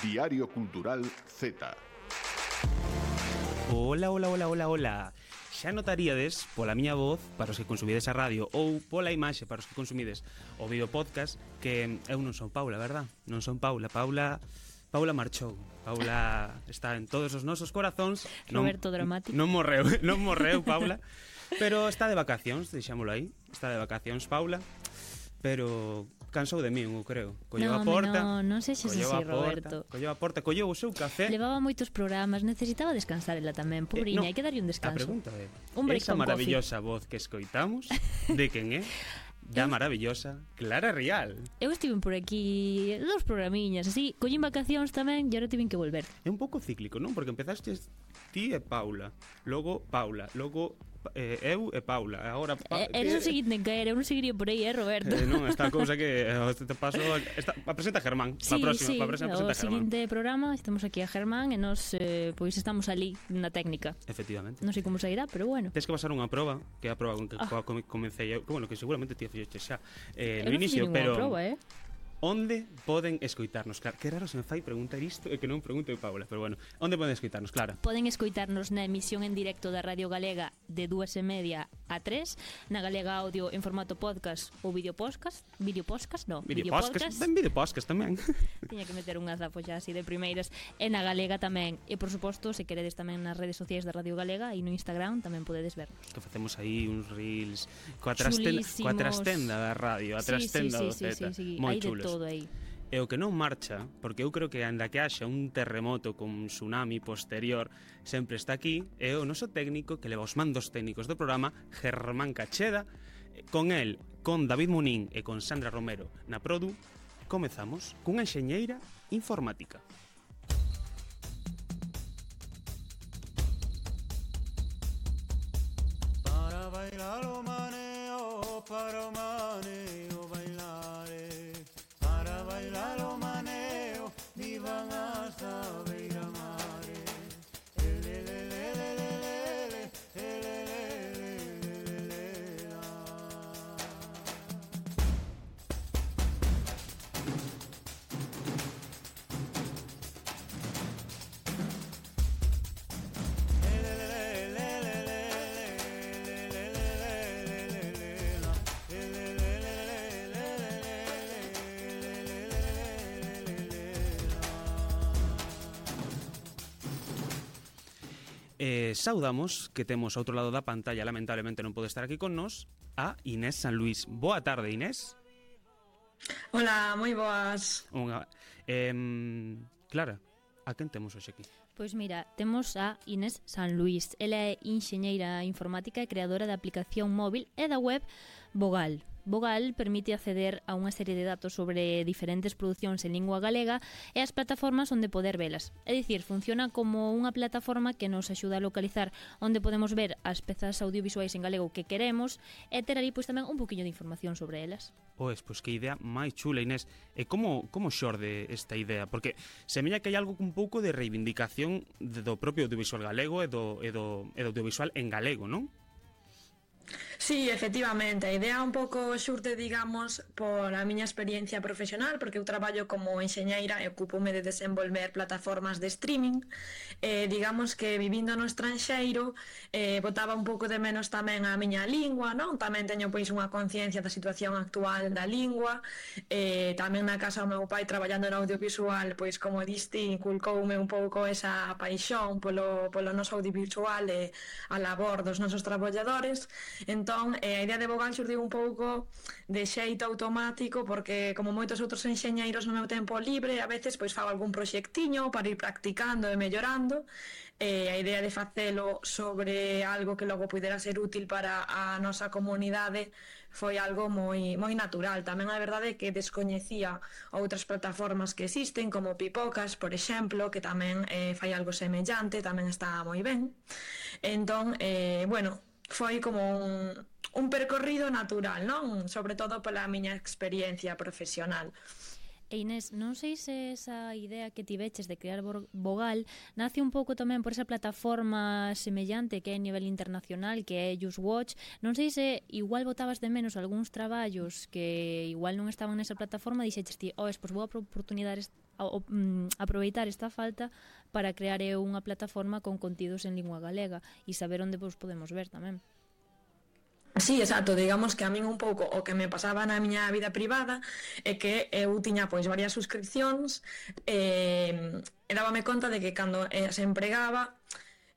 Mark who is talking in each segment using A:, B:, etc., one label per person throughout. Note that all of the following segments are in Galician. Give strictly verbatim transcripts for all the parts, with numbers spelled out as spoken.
A: Diario Cultural Z.
B: Hola, hola, hola, hola, hola. Xa notaríades pola miña voz para os que consumides a radio ou pola imaxe para os que consumides o vídeo podcast que eu non son Paula, verdad? Non son Paula, Paula Paula marchou. Paula está en todos os nosos corazóns.
C: Roberto dramático.
B: Non morreu, non morreu Paula, pero está de vacacións, deixámolo aí. Está de vacacións Paula, pero cansou de mí, eu creo. Colleu
C: no,
B: a porta.
C: No, non sexes así,
B: porta,
C: Roberto.
B: Colleu a porta, colleu o seu café.
C: Levaba moitos programas, necesitaba descansar ela tamén, pobriña,
B: eh, no,
C: hai que darlle un descanso.
B: A pregunta é,
C: un break
B: esa
C: con
B: maravillosa voz que escoitamos, de quen é? Da maravillosa Clara Rial.
C: Eu estive por aquí dous programiñas, así, collín vacacións tamén e agora tiven que volver.
B: É un pouco cíclico, non? Porque empezaste ti e Paula, logo Paula, logo eh, eu e Paula, agora pa
C: eh, Eres o seguinte en caer, eu non seguiría por aí, eh, Roberto?
B: Eh, non, esta cousa que eh, te paso esta, a presenta Germán,
C: sí,
B: a próxima,
C: sí,
B: a presenta
C: o
B: Germán.
C: seguinte programa, estamos aquí a Germán e nos eh, pois estamos ali na técnica.
B: Efectivamente.
C: Non sei como sairá, pero bueno.
B: Tens que pasar unha proba, que é a proba con que ah. comecei eu, que bueno, que seguramente ti fixeste xa eh, no inicio, pero
C: proba, eh?
B: Onde poden escoitarnos? Claro, que raro se me fai preguntar isto e que non pregunte Paula, pero bueno, onde poden escoitarnos, Clara?
C: Poden escoitarnos na emisión en directo da Radio Galega de dúas e media a tres, na Galega Audio en formato podcast ou video podcast, video podcast, no,
B: video podcast, ben video podcast tamén.
C: Tiña que meter un azafo xa así de primeiras, e na Galega tamén, e por suposto, se queredes tamén nas redes sociais da Radio Galega e no Instagram tamén podedes vernos.
B: Que facemos aí uns reels coa trastenda, coa trastenda da radio, a trastenda
C: sí, sí,
B: do Z,
C: sí, sí, sí,
B: moi
C: hai
B: chulos.
C: Todo aí.
B: E o que non marcha, porque eu creo que anda que haxa un terremoto con tsunami posterior, sempre está aquí, é o noso técnico que leva os mandos técnicos do programa, Germán Cacheda. Con el, con David Munín e con Sandra Romero na Produ, comezamos cunha enxeñeira informática.
D: Para bailar o maneo, para o maneo bailar, para bailar o maneo, vivan hasta beira-mar.
B: Eh, saudamos que temos ao outro lado da pantalla, lamentablemente non pode estar aquí con nós, a Inés San Luís. Boa tarde, Inés.
E: Hola, moi boas.
B: Unha, eh, Clara, a quen temos hoxe aquí?
C: Pois mira, temos a Inés San Luís. Ela é enxeñeira informática e creadora da aplicación móvil e da web Vogal. Vogal permite acceder a unha serie de datos sobre diferentes producións en lingua galega e as plataformas onde poder velas. É dicir, funciona como unha plataforma que nos axuda a localizar onde podemos ver as pezas audiovisuais en galego que queremos e ter ali pois tamén un poquinho de información sobre elas.
B: Pois, pois que idea máis chula, Inés. E como, como xorde esta idea? Porque semella que hai algo un pouco de reivindicación do propio audiovisual galego e do, e do, e do audiovisual en galego, non?
E: Sí, efectivamente, a idea un pouco xurte, digamos, por a miña experiencia profesional, porque eu traballo como enxeñeira e ocupome de desenvolver plataformas de streaming. Eh, digamos que vivindo no estranxeiro eh, botaba un pouco de menos tamén a miña lingua, non? Tamén teño pois unha conciencia da situación actual da lingua. Eh, tamén na casa o meu pai traballando no audiovisual, pois como diste, inculcoume un pouco esa paixón polo, polo noso audiovisual e a labor dos nosos traballadores. Entón, eh, a idea de Vogal xurdiu un pouco de xeito automático, porque como moitos outros enxeñeiros no meu tempo libre, a veces pois fago algún proxectiño para ir practicando e mellorando. Eh, a idea de facelo sobre algo que logo pudera ser útil para a nosa comunidade foi algo moi, moi natural. Tamén a verdade é que descoñecía outras plataformas que existen, como Pipocas, por exemplo, que tamén eh, fai algo semellante, tamén está moi ben. Entón, eh, bueno, foi como un, un percorrido natural, non? Sobre todo pola miña experiencia profesional.
C: E Inés, non sei se esa idea que tiveches de crear Vogal nace un pouco tamén por esa plataforma semellante que é a nivel internacional, que é JustWatch. Non sei se igual botabas de menos algúns traballos que igual non estaban nesa plataforma e dixeches ti, oh, pois vou a oportunidades a, a, mm, aproveitar esta falta para crear eu unha plataforma con contidos en lingua galega e saber onde vos podemos ver tamén.
E: Sí, exacto, digamos que a min un pouco o que me pasaba na miña vida privada é que eu tiña pois varias suscripcións e, e dábame conta de que cando eh, se empregaba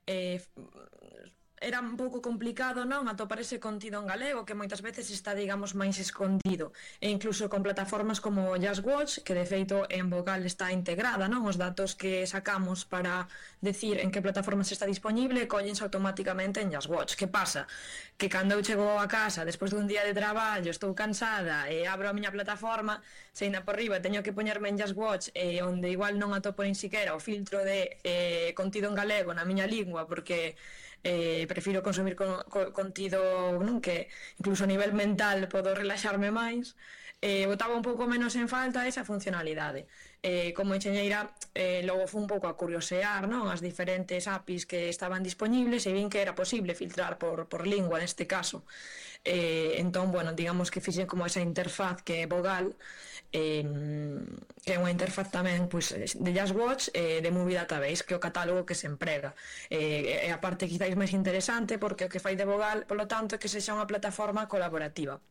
E: eh, era un pouco complicado, non, atopar ese contido en galego que moitas veces está, digamos, máis escondido, e incluso con plataformas como JustWatch, que de feito en Vogal está integrada, non, os datos que sacamos para decir en que plataforma se está disponible collense automáticamente en JustWatch. Que pasa? Que cando eu chego a casa despois dun día de traballo, estou cansada e abro a miña plataforma, se ainda por riba teño que poñerme en JustWatch, eh, onde igual non atopo nin siquiera o filtro de eh, contido en galego na miña lingua, porque Eh, prefiro consumir con, con, contido, non, que incluso a nivel mental podo relaxarme máis, eh, botaba un pouco menos en falta esa funcionalidade. Eh, como enxeñeira, eh, logo fui un pouco a curiosear, non, as diferentes A P Is que estaban disponibles e vin que era posible filtrar por, por lingua neste caso. Eh, entón, bueno, digamos que fixen como esa interfaz que é Vogal, eh, que é unha interfaz tamén pois, de JustWatch e eh, de Movie Database, que é o catálogo que se emprega. E eh, a parte quizáis máis interesante, porque o que fai de Vogal, polo tanto, é que sexa unha plataforma colaborativa.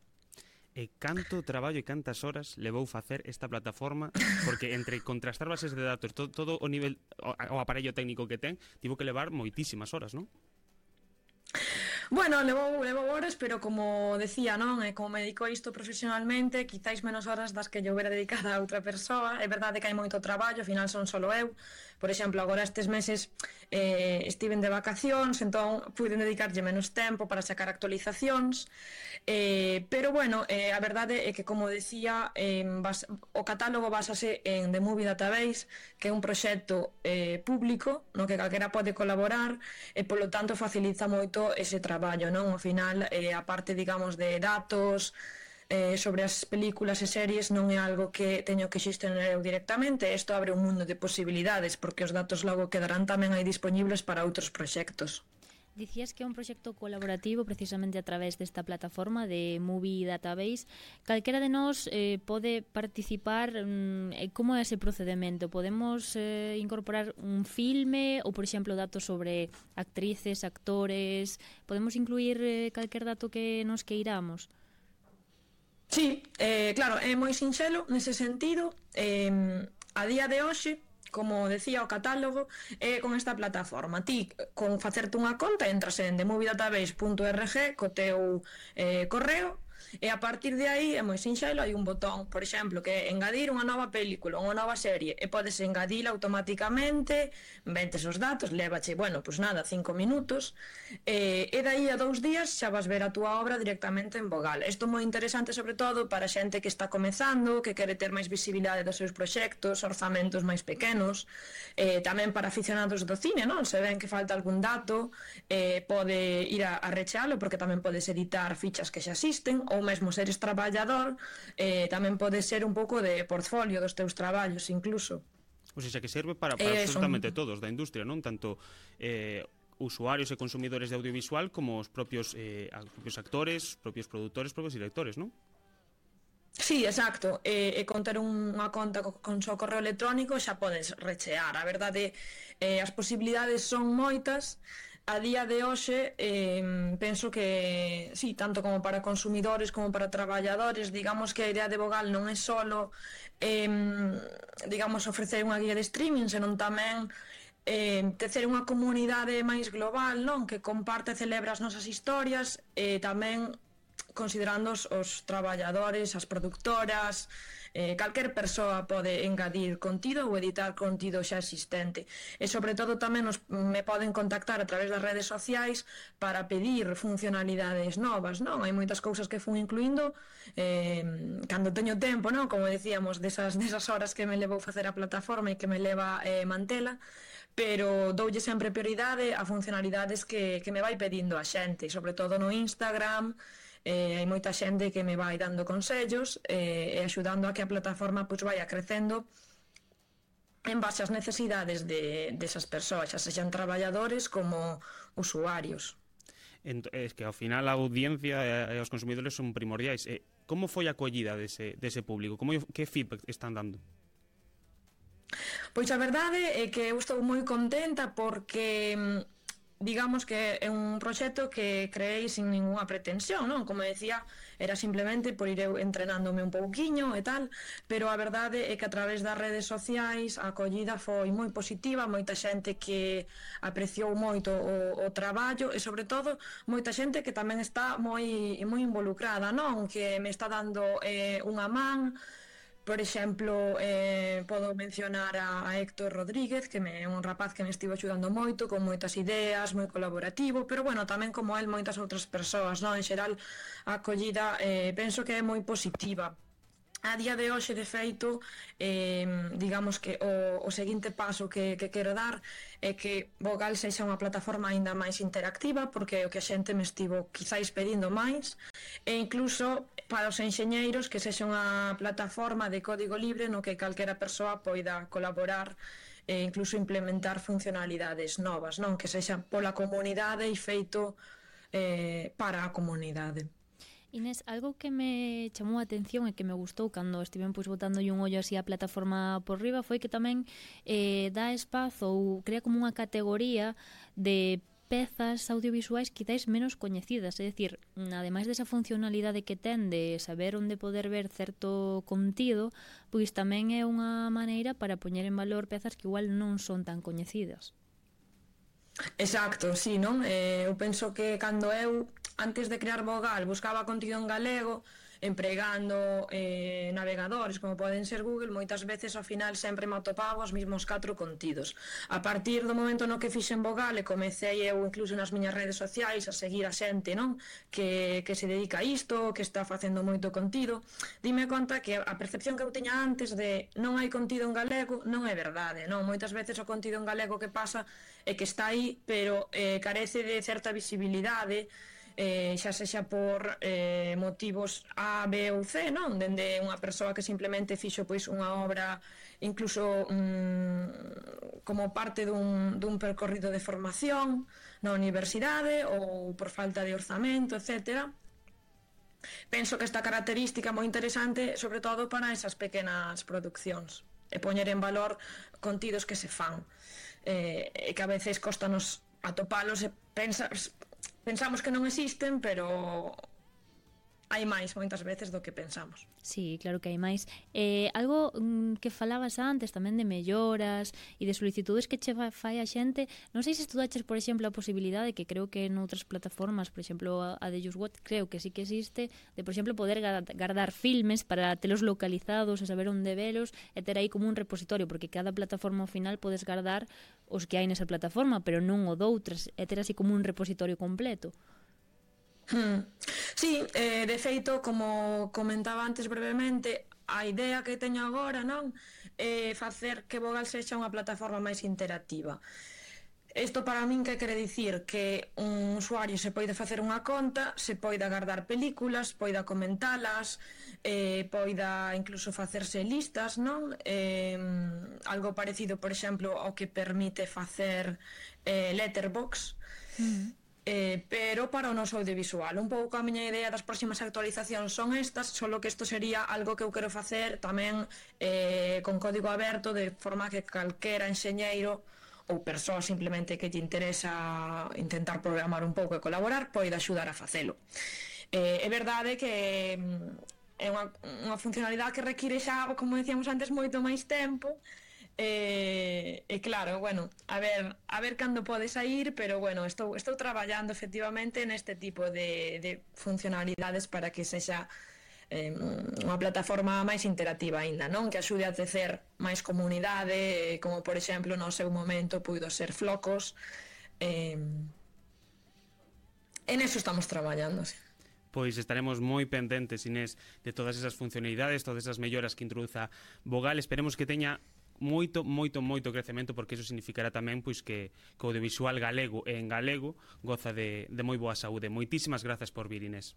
B: E canto traballo e cantas horas levou facer esta plataforma? Porque entre contrastar bases de datos, todo, todo o nivel, o, o aparello técnico que ten, tivo que levar moitísimas horas, non?
E: Bueno, levou, levou horas, pero como decía, non, e como me dedico a isto profesionalmente, quizáis menos horas das que yo hubiera dedicada a outra persoa. É verdade que hai moito traballo, ao final son solo eu. Por exemplo, agora estes meses eh, estiven de vacacións, entón puiden dedicarlle menos tempo para sacar actualizacións. Eh, pero bueno, eh, a verdade é que, como decía, eh, bas, o catálogo basase en The Movie Database, que é un proxecto eh, público no que calquera pode colaborar e polo tanto facilita moito ese traballo, non? Ao final, eh, a parte, digamos, de datos eh, sobre as películas e series non é algo que teño que xestionar eu directamente. Isto abre un mundo de posibilidades, porque os datos logo quedarán tamén aí disponibles para outros proxectos.
C: Dicías que é un proxecto colaborativo precisamente a través desta plataforma de Movie Database. Calquera de nós eh, pode participar. Mm, como é ese procedimento? Podemos eh, incorporar un filme ou, por exemplo, datos sobre actrices, actores? Podemos incluir eh, calquer dato que nos queiramos?
E: Sí, eh, claro, é moi sinxelo nese sentido. Eh, a día de hoxe, como decía o catálogo, é con esta plataforma. Ti, con facerte unha conta, entras en the movie database punto org co teu eh, correo, e a partir de aí é moi sinxelo, hai un botón, por exemplo, que é engadir unha nova película, unha nova serie, e podes engadila automáticamente, metes os datos, lévache, bueno, pois nada, cinco minutos, e, e daí a dous días xa vas ver a túa obra directamente en Vogal. Isto é moi interesante, sobre todo, para xente que está comezando, que quere ter máis visibilidade dos seus proxectos, orzamentos máis pequenos, e tamén para aficionados do cine, non? Se ven que falta algún dato, eh, pode ir a, a rechealo, porque tamén podes editar fichas que xa existen, ou mesmo seres traballador, eh, tamén pode ser un pouco de portfolio dos teus traballos, incluso.
B: O sea, que serve para, para
E: eh,
B: absolutamente
E: son...
B: todos da industria, non? Tanto eh, usuarios e consumidores de audiovisual como os propios, eh, os propios actores, os propios produtores, os propios directores, non?
E: Sí, exacto. E, e con ter unha conta co, con seu correo electrónico xa podes rechear. A verdade, eh, as posibilidades son moitas. A día de hoxe, eh, penso que, sí, tanto como para consumidores como para traballadores, digamos que a idea de Vogal non é solo, eh, digamos, ofrecer unha guía de streaming, senón tamén eh, tecer unha comunidade máis global, non? Que comparte e celebra as nosas historias, e tamén considerando os, os traballadores, as productoras, eh, calquer persoa pode engadir contido ou editar contido xa existente. E sobre todo tamén nos, me poden contactar a través das redes sociais para pedir funcionalidades novas, non? Hai moitas cousas que fun incluindo eh, cando teño tempo, non? Como decíamos, desas, desas horas que me levou facer a plataforma e que me leva eh, mantela, pero doulle sempre prioridade a funcionalidades que, que me vai pedindo a xente, sobre todo no Instagram. Eh, hai moita xente que me vai dando consellos eh, e axudando a que a plataforma pois, vaya crecendo en base ás necesidades de, desas persoas, xa sexan traballadores como usuarios.
B: Ent es que ao final a audiencia e os consumidores son primordiais. Eh, como foi a acollida dese, dese público? Como, que feedback están dando?
E: Pois a verdade é que eu estou moi contenta porque digamos que é un proxecto que creei sin ninguna pretensión, non? Como decía, era simplemente por ir eu entrenándome un pouquiño e tal, pero a verdade é que a través das redes sociais a acollida foi moi positiva, moita xente que apreciou moito o, o traballo e sobre todo moita xente que tamén está moi moi involucrada, non? Que me está dando eh, unha man. Por exemplo, eh, podo mencionar a, a Héctor Rodríguez, que me, é un rapaz que me estivo axudando moito, con moitas ideas, moi colaborativo, pero bueno, tamén como el moitas outras persoas, non? En xeral, a acollida eh, penso que é moi positiva. A día de hoxe, de feito, eh, digamos que o, o seguinte paso que, que quero dar é que Vogal sexa unha plataforma aínda máis interactiva, porque é o que a xente me estivo quizáis pedindo máis, e incluso para os enxeñeiros que sexa unha plataforma de código libre no que calquera persoa poida colaborar e incluso implementar funcionalidades novas, non? Que sexa pola comunidade e feito eh, para a comunidade.
C: Inés, algo que me chamou a atención e que me gustou cando estiven pois botándolle un ollo así a plataforma por riba foi que tamén eh, dá espazo ou crea como unha categoría de pezas audiovisuais quizáis menos coñecidas, é dicir, ademais desa funcionalidade que ten de saber onde poder ver certo contido, pois tamén é unha maneira para poñer en valor pezas que igual non son tan coñecidas.
E: Exacto, sí, non? Eh, eu penso que cando eu, antes de crear Vogal, buscaba contido en galego, empregando eh, navegadores como poden ser Google, moitas veces ao final sempre me atopaba os mismos catro contidos. A partir do momento no que fixen Vogal e comecei eu incluso nas miñas redes sociais a seguir a xente, non? Que, que se dedica a isto, que está facendo moito contido, dime conta que a percepción que eu tiña antes de non hai contido en galego non é verdade, non? Moitas veces o contido en galego que pasa é que está aí, pero eh, carece de certa visibilidade, eh, xa sexa por eh, motivos A, B ou C, non? Dende unha persoa que simplemente fixo pois unha obra incluso mm, como parte dun, dun percorrido de formación na universidade ou por falta de orzamento, etcétera. Penso que esta característica é moi interesante sobre todo para esas pequenas produccións e poñer en valor contidos que se fan eh, e que a veces costanos atopalos e pensas pensamos que non existen, pero hai máis moitas veces do que pensamos.
C: Sí, claro que hai máis. Eh, algo mm, que falabas antes tamén de melloras e de solicitudes que che fai a xente, non sei se estudaches, por exemplo, a posibilidade que creo que en outras plataformas, por exemplo, a de JustWatch, creo que sí que existe, de, por exemplo, poder guardar filmes para telos localizados e saber onde velos e ter aí como un repositorio, porque cada plataforma ao final podes guardar os que hai nesa plataforma, pero non o doutras, e ter así como un repositorio completo.
E: Hmm. Sí, eh, de feito, como comentaba antes brevemente, a idea que teño agora, non, é facer que Vogal sexa unha plataforma máis interactiva. Isto para min que quere dicir que un usuario se poida facer unha conta, se poida guardar películas, poida comentalas, eh, poida incluso facerse listas, non? Eh, algo parecido, por exemplo, ao que permite facer eh, Letterboxd. Mm. Eh, pero para o noso audiovisual. Un pouco a miña idea das próximas actualizacións son estas, solo que isto sería algo que eu quero facer tamén eh, con código aberto, de forma que calquera enxeñeiro ou persoa simplemente que lle interesa intentar programar un pouco e colaborar poida axudar a facelo. Eh, é verdade que é unha, unha funcionalidade que require xa, como decíamos antes, moito máis tempo. E, e claro, bueno, a ver, a ver cando pode sair, pero bueno, estou, estou traballando efectivamente neste tipo de, de funcionalidades para que sexa eh, unha plataforma máis interactiva aínda, non? Que axude a tecer máis comunidade, como por exemplo no seu momento puido ser Flocos. Eh, en eso estamos traballando, sí.
B: Pois estaremos moi pendentes, Inés, de todas esas funcionalidades, todas esas melloras que introduza Vogal. Esperemos que teña moito, moito, moito crecemento, porque iso significará tamén pois que, que o audiovisual galego e en galego goza de, de moi boa saúde. Moitísimas grazas por vir, Inés.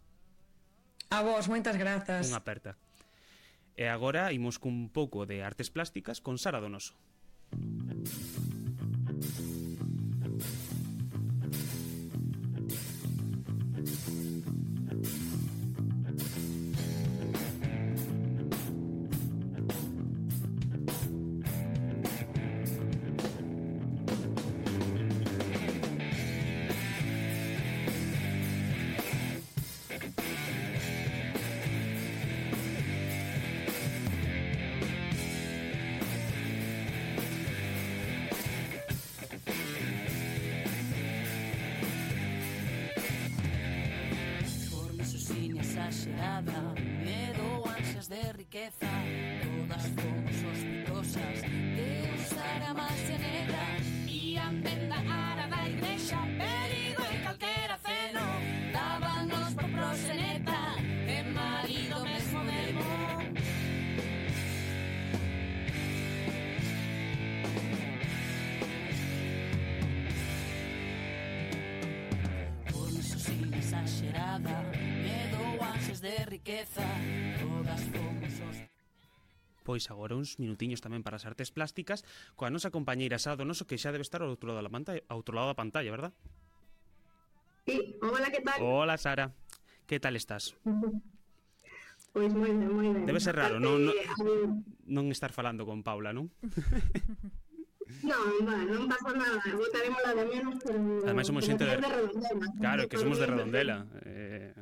E: A vos, moitas grazas.
B: Unha aperta. E agora imos cun pouco de artes plásticas con Sara Donoso.
F: exagerada, medo, ansias de riqueza, todas fomos sospitosas de usar a magia negra. Ian venda ara da igrexa, perigo e calquera ceno, dábanos por proxeneta, e marido mesmo demo. Por iso sin exagerada, medo, ansias de riqueza, todas fomos sospitosas.
B: Pois agora uns minutiños tamén para as artes plásticas coa nosa compañeira Sara Donoso, que xa debe estar ao outro lado da pantalla, ao outro lado da pantalla, verdad?
G: Sí, hola, que tal?
B: Hola, Sara. Que tal estás?
G: Pois moi ben, moi ben.
B: Debe ser raro,
G: Aparte,
B: non, non,
G: a-
B: non estar falando con Paula, non?
G: Non, bueno, non pasa nada, botaremos la de menos, pero...
B: Ademais somos xente de...
G: de Redondela.
B: Claro, que somos de Redondela. Eh,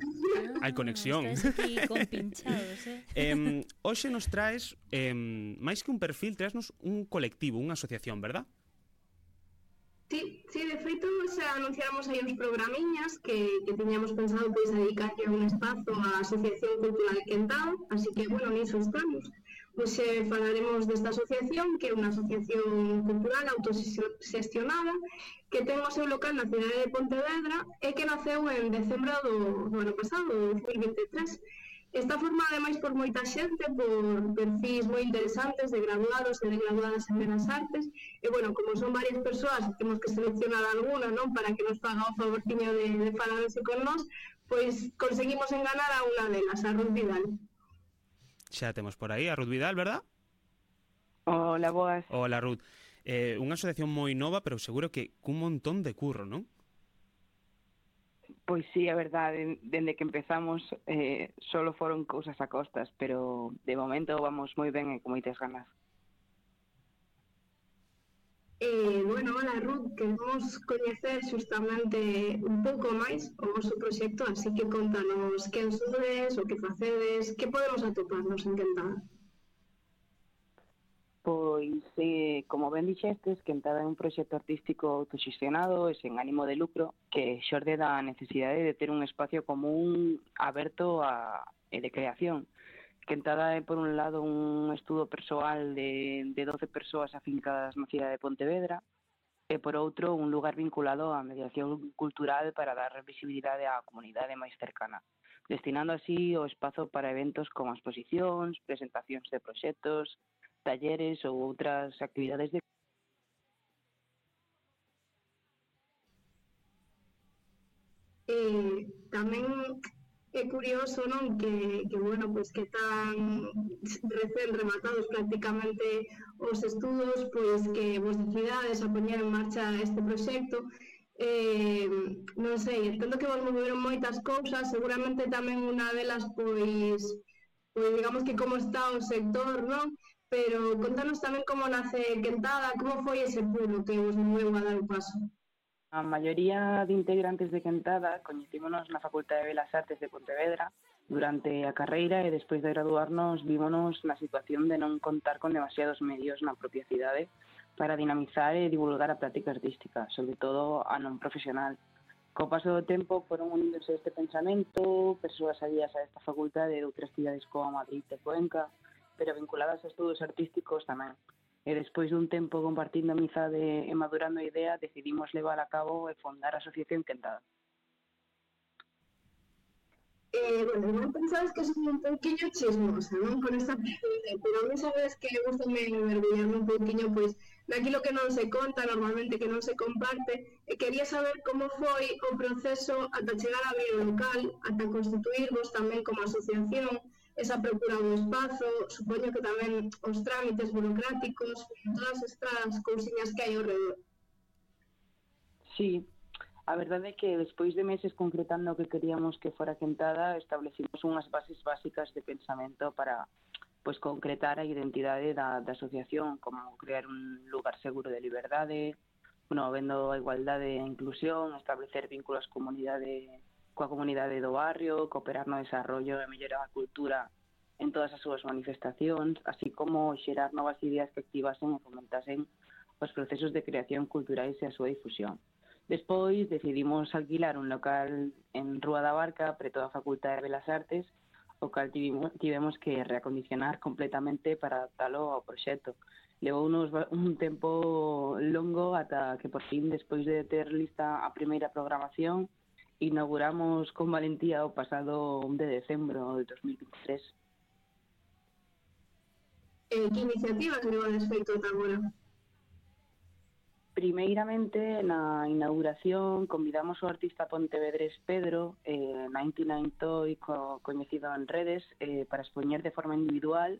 B: hai conexión.
C: Estáis aquí compinchados, eh?
B: eh, hoxe nos traes, eh, máis que un perfil, traesnos un colectivo, unha asociación, verdad?
G: Sí, sí, de feito xa anunciamos aí uns programiñas que, que tiñamos pensado pois dedicarlle un espazo á Asociación Cultural Quentado, así que, bueno, niso estamos. Pois eh, falaremos desta asociación, que é unha asociación cultural autoxestionada, que ten o seu local na cidade de Pontevedra e que naceu en decembro do, do ano pasado, do dos mil vinte e tres. Está formada ademais por moita xente, por perfis moi interesantes de graduados e de graduadas en Belas Artes, e, bueno, como son varias persoas, temos que seleccionar alguna, non, para que nos faga o favorciño de, de falarse con nós, pois conseguimos enganar a unha delas, a Ruth Vidal.
B: Xa temos por aí a Ruth Vidal, verdad?
H: Hola, boas.
B: Hola, Ruth. Eh, unha asociación moi nova, pero seguro que cun montón de curro, non?
H: Pois sí, a verdade, dende que empezamos eh, solo foron cousas a costas, pero de momento vamos moi ben e con moitas ganas.
G: Eh, bueno, hola Ruth, queremos coñecer xustamente un pouco máis o vosso proxecto, así que contanos quen sodes, o que facedes, que podemos atoparnos en Quentada.
H: Pois, eh, como ben dixestes, Quentada é un proxecto artístico autoxestionado e sen ánimo de lucro que xorde da necesidade de ter un espacio común aberto a, e de creación. Quentada é, por un lado, un estudo persoal de, de doce persoas afincadas na cidade de Pontevedra e, por outro, un lugar vinculado á mediación cultural para dar visibilidade á comunidade máis cercana, destinando así o espazo para eventos como exposicións, presentacións de proxectos, talleres ou outras actividades de...
G: Eh, tamén é curioso, non, que, que bueno, pois que tan recén rematados prácticamente os estudos, pois que vos decidades a poñer en marcha este proxecto. Eh, non sei, entendo que vos moveron moitas cousas, seguramente tamén unha delas, pois, pois digamos que como está o sector, non? Pero contanos tamén como nace Quentada, como foi ese pulo que vos moveu a dar o paso.
H: A maioría de integrantes de Quentada coñecímonos na Facultade de Belas Artes de Pontevedra durante a carreira e despois de graduarnos vímonos na situación de non contar con demasiados medios na propia cidade para dinamizar e divulgar a práctica artística, sobre todo a non profesional. Co paso do tempo foron unidos a este pensamento persoas alías a esta facultade de outras cidades como Madrid e Cuenca, pero vinculadas a estudos artísticos tamén. E despois dun tempo compartindo amizade e madurando a idea, decidimos levar a cabo e fondar a Asociación Quentada.
G: Eh, bueno, igual pensabas que son un pouquiño chismosa, non? Con esta pregunta, pero a mí sabes que gustame mergullarme un pouquiño, pois, naquilo que non se conta normalmente, que non se comparte, e quería saber como foi o proceso ata chegar a abrir o local, ata constituirvos tamén como asociación, esa procura do espazo, supoño que tamén os trámites burocráticos, todas estas cousiñas que hai ao redor.
H: Sí, a verdade é que despois de meses concretando o que queríamos que fora Quentada, establecimos unhas bases básicas de pensamento para pois concretar a identidade da, da asociación, como crear un lugar seguro de liberdade, bueno, vendo a igualdade e a inclusión, establecer vínculos comunidade coa comunidade do barrio, cooperar no desarrollo e mellorar a cultura en todas as súas manifestacións, así como xerar novas ideas que activasen e fomentasen os procesos de creación culturais e a súa difusión. Despois decidimos alquilar un local en Rúa da Barca, preto da Facultade de Belas Artes, o cal tivemos, tivemos que reacondicionar completamente para adaptalo ao proxecto. Levounos un tempo longo ata que por fin, despois de ter lista a primeira programación, inauguramos con valentía o pasado un de decembro de dos mil veintitrés.
G: Eh, que iniciativas levades feito ata agora?
H: Primeiramente, na inauguración, convidamos o artista pontevedrés Pedro, eh, noventa e nove Toy, co, coñecido en redes, eh, para expoñer de forma individual,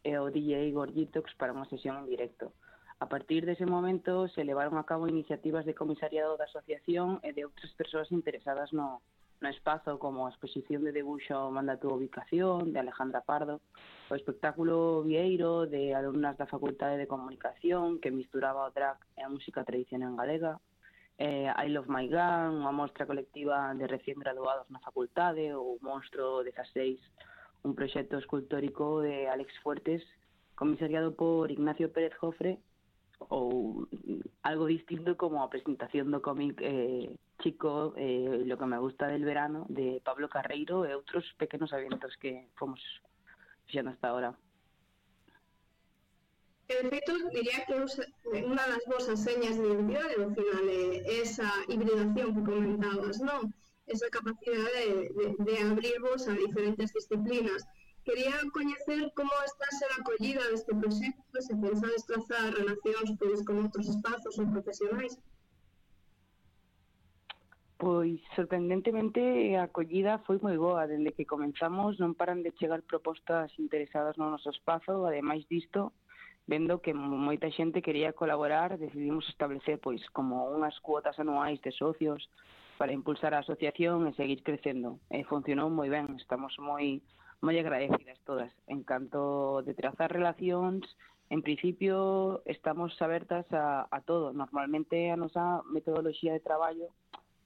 H: e o D J Igor Gitox para unha sesión en directo. A partir dese momento se levaron a cabo iniciativas de comisariado da asociación e de outras persoas interesadas no, no espazo, como a exposición de debuxo Manda tu ubicación, de Alejandra Pardo, o espectáculo Vieiro de alumnas da Facultade de Comunicación que misturaba o drag e a música tradicional galega, eh, I Love My Gun, unha mostra colectiva de recién graduados na facultade, ou Monstro dezaseis, un proxecto escultórico de Alex Fuertes, comisariado por Ignacio Pérez Jofre, ou algo distinto como a presentación do cómic eh, Chico, eh, lo que me gusta del verano, de Pablo Carreiro, e outros pequenos eventos que fomos fixendo hasta ahora.
G: De feito, diría que unha das vosas señas de identidade ao final é esa hibridación que comentabas, non? Esa capacidade de, de, de abrirvos a diferentes disciplinas. Quería coñecer como está a ser a acollida deste proxecto, se pensades trazar relacións pois, con outros espazos ou profesionais.
H: Pois, sorprendentemente, a acollida foi moi boa. Dende que comenzamos non paran de chegar propostas interesadas no noso espazo. Ademais disto, vendo que moita xente quería colaborar, decidimos establecer pois como unhas cuotas anuais de socios para impulsar a asociación e seguir crecendo. E funcionou moi ben, estamos moi moi agradecidas todas. En canto de trazar relacións, en principio estamos abertas a, a todo. Normalmente a nosa metodoloxía de traballo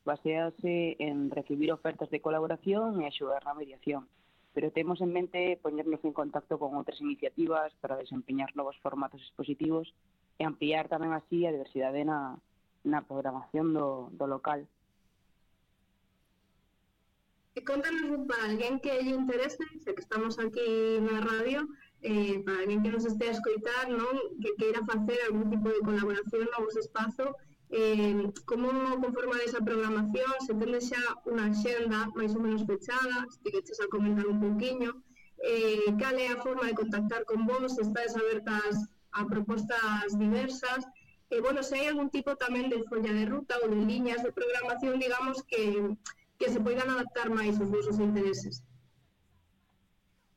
H: basease en recibir ofertas de colaboración e axudar na mediación. Pero temos en mente poñernos en contacto con outras iniciativas para desempeñar novos formatos expositivos e ampliar tamén así a diversidade na, na programación do, do local.
G: E contanos para alguén que lle interese, sei que estamos aquí na radio, eh, para alguén que nos este a escoitar, non? Que queira facer algún tipo de colaboración no vos espazo, eh, como conformar esa programación, se tendes xa unha axenda máis ou menos fechada, se te queches a comentar un pouquiño, eh, cal é a forma de contactar con vos, se estades abertas a propostas diversas, e, bueno, se hai algún tipo tamén de folla de ruta ou de liñas de programación, digamos, que, que se poidan adaptar máis aos vosos intereses.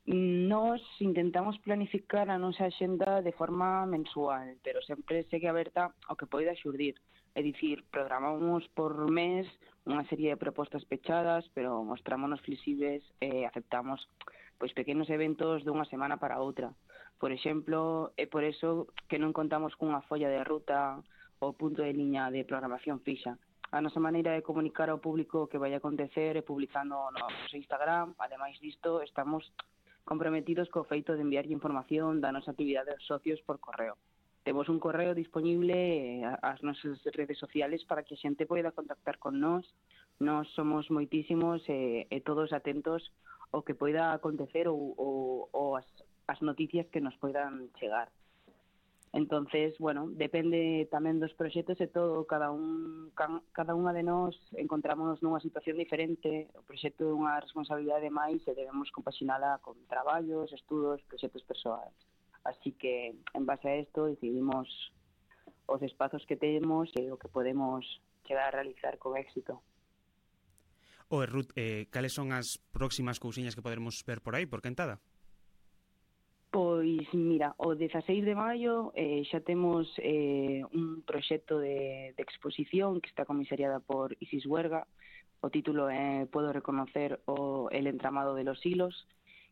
H: Nos intentamos planificar a nosa axenda de forma mensual, pero sempre segue aberta ao que poida xurdir. É dicir, programamos por mes unha serie de propostas pechadas, pero mostrámonos flexibles e aceptamos pois pequenos eventos dunha semana para outra. Por exemplo, é por eso que non contamos cunha folla de ruta ou punto de liña de programación fixa. A nosa maneira de comunicar ao público o que vai acontecer é publicando no noso Instagram. Ademais disto, estamos comprometidos co feito de enviarlle información da nosa actividade aos socios por correo. Temos un correo disponible ás nosas redes sociales para que a xente poida contactar con nós. Nós somos moitísimos e, e todos atentos ao que poida acontecer ou, ou, ou as, as noticias que nos poidan chegar. Entonces, bueno, depende tamén dos proxectos e todo, cada un cada unha de nós encontrámonos nunha situación diferente. O proxecto é unha responsabilidade máis e debemos compaxinala con traballos, estudos, proxectos persoais. Así que, en base a isto, decidimos os espazos que temos e o que podemos chegar a realizar con éxito.
B: Oe, Ruth, eh, cales son as próximas cousiñas que poderemos ver por aí, por Quentada?
H: Pois, mira, o dezaseis de maio eh, xa temos eh, un proxecto de, de exposición que está comisariada por Isis Huerga. O título é Puedo reconocer o el entramado de los hilos,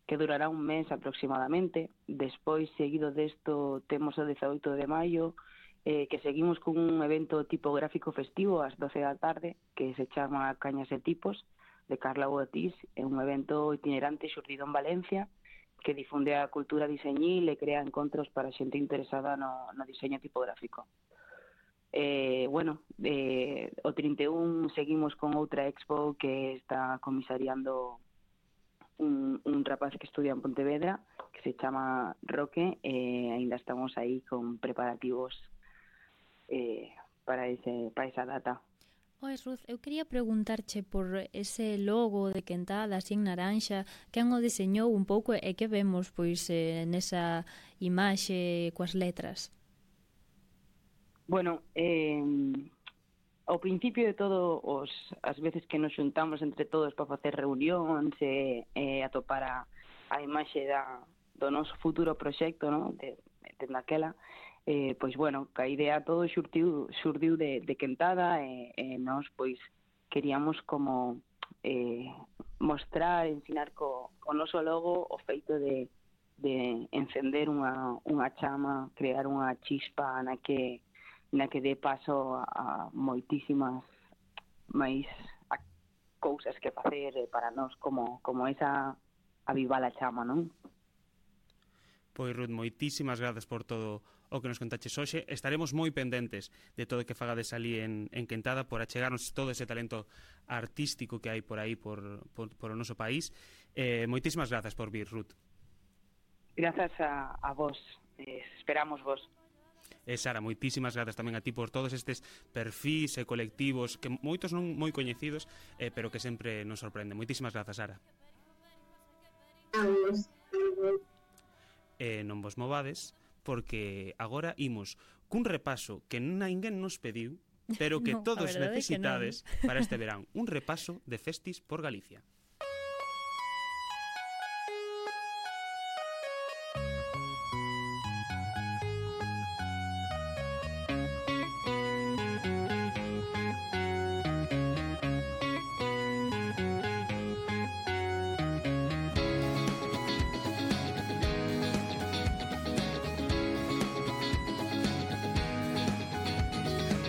H: que durará un mes aproximadamente. Despois, seguido desto, temos o dezaoito de maio, eh, que seguimos con un evento tipográfico festivo ás doce da tarde, que se chama Cañas e Tipos, de Carla Botiz. É un evento itinerante xurdido en Valencia, que difunde a cultura diseñil e crea encontros para xente interesada no, no diseño tipográfico. Eh, bueno, eh, o trinta e un seguimos con outra expo que está comisariando un, un rapaz que estudia en Pontevedra, que se chama Roque, e eh, ainda estamos aí con preparativos eh, para, ese, para esa data.
C: Oe, Ruth, eu quería preguntarche por ese logo de Quentada, así en naranxa, quen o deseñou un pouco e que vemos pois eh, nesa imaxe coas letras?
H: Bueno, eh, ao principio de todo, os, as veces que nos xuntamos entre todos para facer reunións e eh, atopar a, a imaxe da, do noso futuro proxecto, no? de, de daquela, eh, pois, bueno, que a idea todo xurdiu, xurdiu de, de Quentada e, e nós, pois, queríamos como eh, mostrar, ensinar co, co noso logo o feito de, de encender unha, unha chama, crear unha chispa na que na que dé paso a, a moitísimas máis a cousas que facer para nós, como, como esa avivar a chama, non?
B: Pois, Ruth, moitísimas grazas por todo o que nos contaches hoxe. Estaremos moi pendentes de todo o que fagades ali en, en Quentada por achegarnos todo ese talento artístico que hai por aí, por, por, por o noso país. Eh, moitísimas grazas por vir, Ruth.
H: Grazas a, a vos. Eh, esperamos vos.
B: E Sara, moitísimas grazas tamén a ti por todos estes perfís e colectivos que moitos non moi coñecidos, eh, pero que sempre nos sorprenden. Moitísimas grazas, Sara.
G: A vos.
B: E non vos movades, porque agora imos cun repaso que ninguén nos pediu, pero que
C: No, a
B: todos
C: verdade é que
B: necesitades para este verán. Un repaso de festis por Galicia.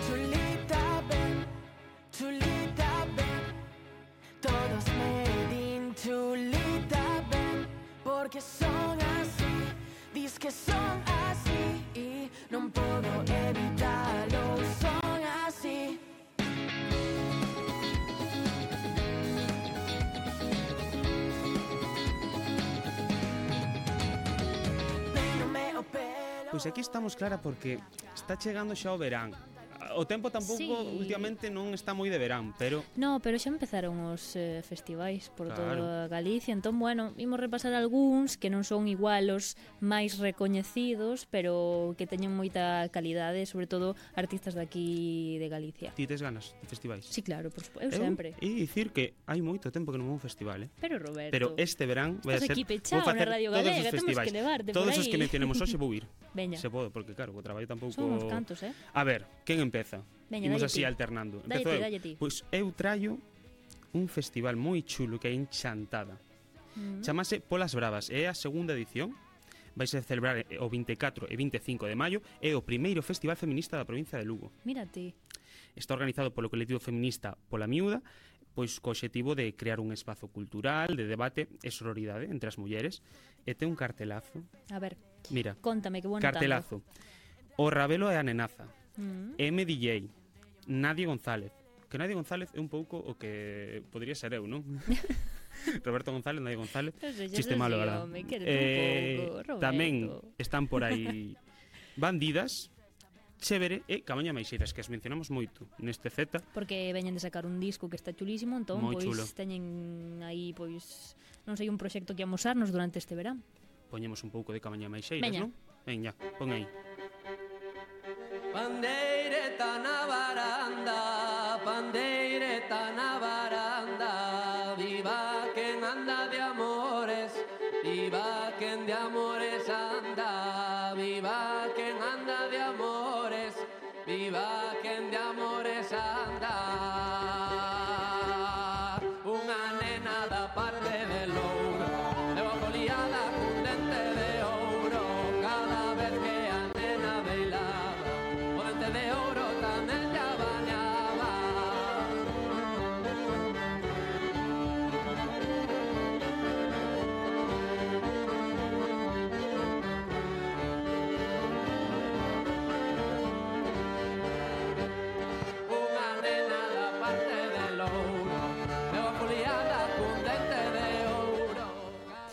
I: Chulita, ven, chulita, ven, todos me din chulita, ven, porque son así, dis que son así, y non podo evitalo, son así. Peínome o pelo.
B: Pois aquí estamos, Clara, porque está chegando xa o verán. O tempo tampouco
C: Sí.
B: últimamente non está moi de verán, pero
C: No, pero xa empezaron os eh, festivais por
B: Claro.
C: toda Galicia, entón, bueno, imos repasar algúns que non son igual os máis recoñecidos, pero que teñen moita calidade, sobre todo artistas de aquí de Galicia.
B: ti tes ganas de festivais?
C: Sí, claro, por suposto, eu sempre.
B: E dicir que hai moito tempo que non vou a un festival, eh?
C: Pero Roberto,
B: Pero este verán vai a
C: estás
B: ser
C: aquí pechado
B: vou facer
C: na Radio
B: todos
C: Galega,
B: os
C: temos
B: festivais.
C: que levarte por
B: Todos os
C: aí.
B: que mencionemos hoxe vou ir.
C: Veña,
B: Se podo, porque claro, o traballo tampouco.
C: son uns cantos, eh?
B: A ver, quen empeza?
C: Veña,
B: Imos
C: dalle
B: así
C: ti.
B: alternando.
C: Dalle
B: Empezo
C: ti,
B: eu.
C: dalle ti.
B: Pois eu traio un festival moi chulo que hai en Chantada.
C: Mm.
B: Chamase Polas Bravas, é a segunda edición. Vais a celebrar o vinte e catro e vinte e cinco de maio. É o primeiro festival feminista da provincia de Lugo.
C: Mírate.
B: Está organizado polo colectivo feminista Pola Miúda, pois co obxectivo de crear un espazo cultural, de debate e sororidade entre as mulleres. E ten un cartelazo.
C: A ver,
B: Mira,
C: contame que bueno
B: cartelazo. O Rabelo e a Nenaza.
C: Mm.
B: M D J. Nadie González. Que Nadie González é un pouco o que podría ser eu, non? Roberto González, Nadie González.
C: Non sei,
B: Chiste
C: xa
B: malo,
C: sei,
B: verdad?
C: home, quérete un pouco, Roberto.
B: Tamén están por aí Bandidas, Chévere e Camaña Maixeiras, que as mencionamos moito neste Z.
C: Porque veñen de sacar un disco que está chulísimo, entón
B: Moi
C: pois
B: chulo.
C: teñen aí pois non sei un proxecto que amosarnos durante este verán.
B: Poñemos un pouco de Camaña Maixeiras,
C: Veña.
B: non? Veña, pon aí.
I: Pandeireta na baranda, pandeireta na baranda, viva quen anda de amores, viva quen de amores anda, viva quen anda de amores, viva quen de amores anda. Unha nena da parte de Louro, leva foliada cun dente de ouro, cada vez que a nena bailaba, o dente de ouro tamén lla bañaba.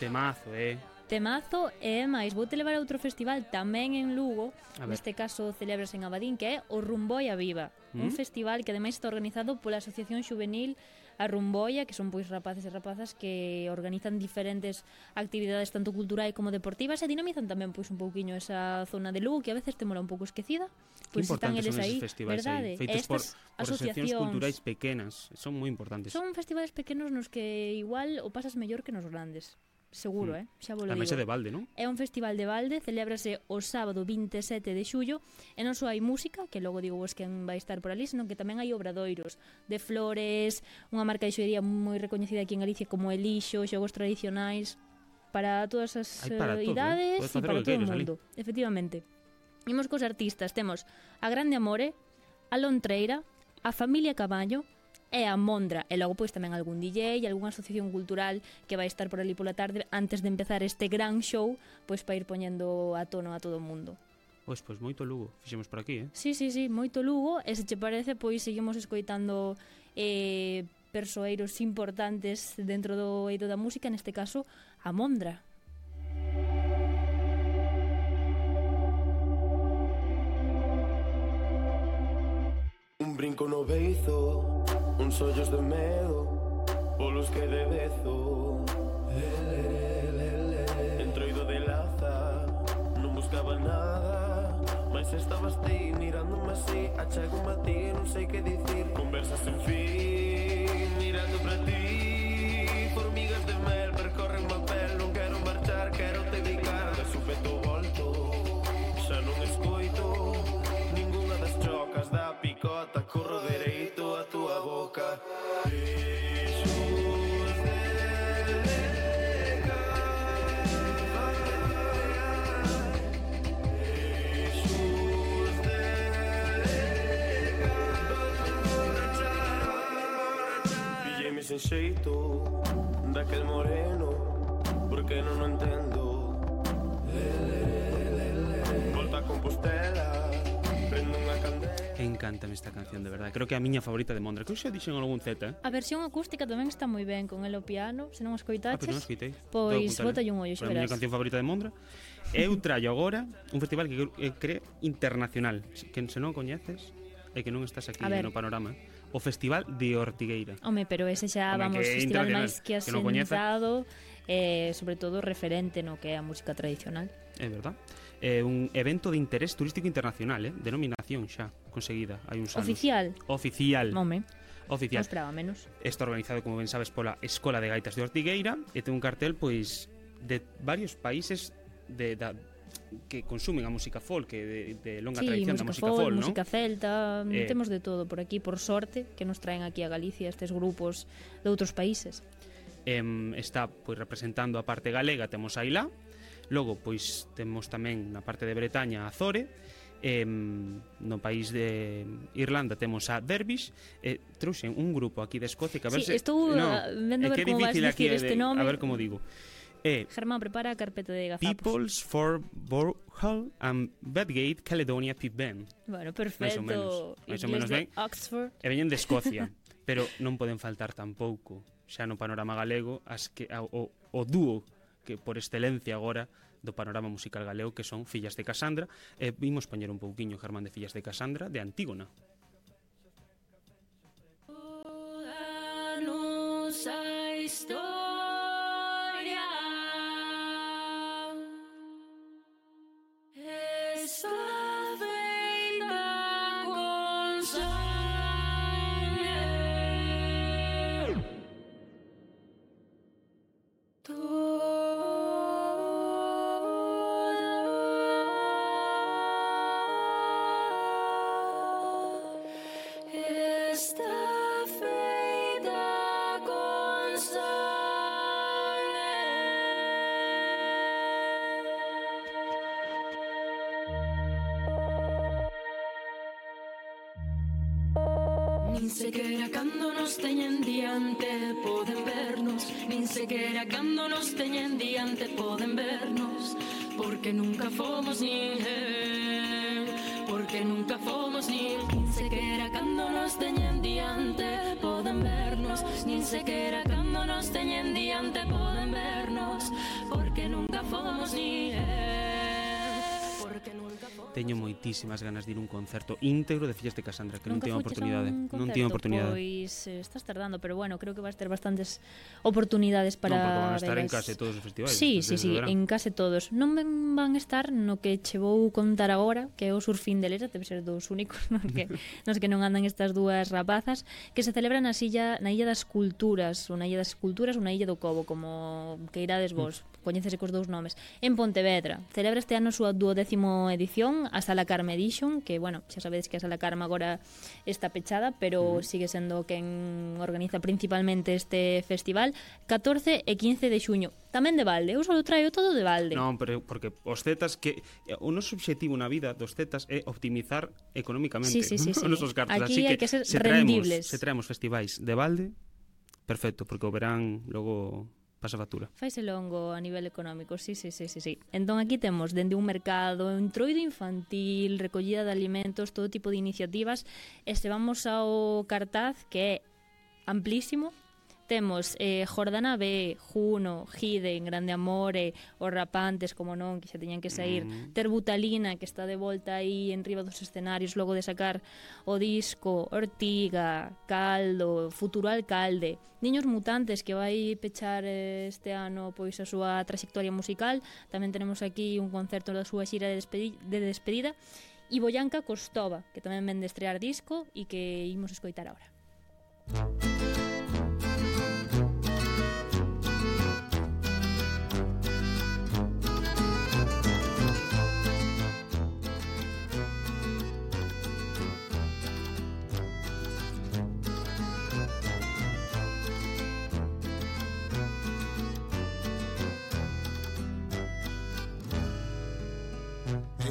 B: Temazo, eh?
C: Temazo e máis, vou te levar a outro festival tamén en Lugo,
B: A ver.
C: neste caso celebras en Abadín, que é o Rumboia Viva,
B: Mm.
C: un festival que ademais está organizado pola Asociación Xuvenil A Rumboia, que son pois rapaces e rapazas que organizan diferentes actividades tanto culturais como deportivas e dinamizan tamén pois un pouquiño esa zona de Lugo que a veces te mola un pouco esquecida.
B: Que
C: Pois están
B: importantes
C: eles
B: son
C: aí,
B: esos festivais
C: verdade?
B: aí, feitos por,
C: Estas
B: por asociacións
C: asociacións
B: culturais pequenas, son moi importantes.
C: son festivales pequenos nos que igual o pasas mellor que nos grandes. Seguro,
B: Mm.
C: eh? Xa vos lo
B: Ademais
C: digo.
B: é de balde, non?
C: É un festival de balde, celébrase o sábado vinte e sete de xullo e non só hai música, que logo digo vos quen vai estar por ali, senón que tamén hai obradoiros de flores, unha marca de xoería moi recoñecida aquí en Galicia como Elixo, xogos tradicionais, para todas as
B: Hai para
C: eh,
B: todo, eh?
C: idades
B: Podes
C: e
B: facer o
C: para
B: que
C: todo o
B: queiras ali.
C: mundo. Efectivamente. Imos cos artistas, temos a Grande Amore, a Lontreira, a Familia Caballo, e a Mondra, e logo pois tamén algún D J e algunha asociación cultural que vai estar por ali pola tarde antes de empezar este gran show, pois para ir poñendo a tono a todo o mundo.
B: Pois, pois moito Lugo, fixemos por aquí, eh?
C: Sí, sí, sí, moito Lugo, e se che parece, pois seguimos escoitando eh, persoeiros importantes dentro do eido da música, neste caso, a Mondra.
J: Un brinco no beizo, uns ollos de medo, polos que de bezo. Entroido de laza, non buscaba nada, mas estabas ti mirándome así, achego a ti e non sei que dicir. Conversas sen fin, mirando para ti, formigas de mel percorren má pel, non quero marchar, quero te dedicar. De súpeto volto, xa non escoito ningunha das chocas da picota, corro dereito a túa boca. Pillei-me sen xeito daquel moreno, porque non o entendo. Volta a Compostela, prendo unha candela.
B: Encántame esta canción, de verdade. Creo que é a miña favorita de Mondra. Que eu xa dixen algún Z, eh?
C: A versión acústica tamén está moi ben con el o piano, se non o
B: Ah, pero
C: escoitaches,
B: non escoitei.
C: pois
B: Debo
C: bota
B: apuntar,
C: un ollo,
B: eh?
C: xa
B: Pero a miña
C: verás.
B: canción favorita de Mondra. Eu traio agora un festival que é creo internacional, que se non coñeces e que non estás aquí
C: A ver.
B: no panorama. O Festival de Ortigueira.
C: Home, pero ese xa,
B: Home,
C: vamos,
B: que é
C: festival
B: internacional,
C: máis que
B: que non coñeza.
C: asentado, eh, sobre todo referente no que é a música tradicional.
B: É verdad. É un evento de interés turístico internacional, eh? Denominación xa conseguida hai uns anos.
C: Oficial.
B: Oficial.
C: Home,
B: Oficial.
C: non esperaba menos.
B: Está organizado, como ben sabes, pola Escola de Gaitas de Ortigueira e ten un cartel, pois, de varios países de, da, que consumen a música folk, de, de longa
C: Sí,
B: tradición da
C: música
B: música folk, ¿no?
C: música celta,
B: Eh.
C: temos de todo por aquí, por sorte, que nos traen aquí a Galicia estes grupos de outros países.
B: Em, está pois representando a parte galega, temos a Ilá. Logo, pois temos tamén na parte de Bretaña a Azore. Em, no país de Irlanda temos a Dervish. E trouxen un grupo aquí de Escocia que a ver
C: Sí,
B: se
C: estou, ah, vendo
B: é
C: ver
B: que é
C: como vas
B: difícil aquí
C: dicir
B: de-
C: este nome.
B: A ver como digo. É
C: Germán, prepara a carpeta de gazapos.
B: Peoples for Borhall and Bedgate Caledonia Pip Band.
C: Bueno,
B: Mais ou
C: perfecto.
B: menos, máis ou
C: Inglés
B: menos
C: de
B: ben.
C: Oxford.
B: E veñen de Escocia, pero non poden faltar tampouco xa no panorama galego as que a- o, o dúo que por excelencia agora do panorama musical galego, que son Fillas de Casandra. E vimos poñer un pouquiño, Germán, de Fillas de Casandra, de Antígona.
F: Toda nosa historia está feita con sangue. Toda está feita con sangue. Nin sequera cando nos teñen diante poden vernos, nin sequera cando nos teñen diante poden vernos, porque nunca fomos ninguén, porque nunca fomos nin, nin sequera cando nos teñen diante poden vernos, nin sequera cando nos teñen diante poden vernos, nunca fomos ninguén, porque nunca fomos.
B: Teño moitísimas ganas de ir a un concerto íntegro de Fillas de Casandra, que non
C: Nunca
B: teño
C: fuches a
B: oportunidade.
C: un
B: Non teño
C: concerto?
B: oportunidade.
C: Pois eh, estás tardando, pero bueno, creo que vas ter bastantes oportunidades para
B: Non, porque van a estar en
C: velas.
B: case todos os festivais.
C: Sí, sí,
B: desde
C: sí,
B: o verán.
C: en case todos. Non ben van estar no que che vou contar agora, que é o Surfín de Lera, debe ser dos únicos nos que, nos que non andan estas dúas rapazas, que se celebra na illa, na Illa das Culturas, ou na Illa das Culturas ou na Illa do Cobo, como que irades vos. Mm. Coñécese cos dous nomes, en Pontevedra. Celebra este ano a súa duodécimo edición, a Sala Carme Edition, que, bueno, xa sabedes que a Sala Carme agora está pechada, pero mm. sigue sendo quen organiza principalmente este festival, catorce e quince de xuño. Tamén de balde, eu só traio todo de balde.
B: Non, pero porque os Zetas que o noso obxectivo na vida dos Zetas é optimizar económicamente
C: Sí, sí, sí, sí.
B: os nosos cartos.
C: Aquí
B: Así
C: hai
B: que,
C: que ser
B: se traemos,
C: rendibles.
B: se traemos festivais de balde, perfecto, porque o verán logo pasa factura.
C: Faise longo a nivel económico, sí, sí, sí, sí, sí. Entón aquí temos dende un mercado, entroido infantil, recollida de alimentos, todo tipo de iniciativas, e se vamos ao cartaz, que é amplísimo. Temos eh, Jordana B, Juno, Giden, Grande Amore, Os Rapantes, como non, que xa teñan que sair, mm. Terbutalina, que está de volta aí en riba dos escenarios logo de sacar o disco, Ortiga, Caldo, Futuro Alcalde, Niños Mutantes, que vai pechar eh, este ano pois a súa trayectoria musical. Tamén tenemos aquí un concerto da súa xira de, despedi de despedida, e Boyanca Costova, que tamén ven de estrear disco e que imos escoitar agora.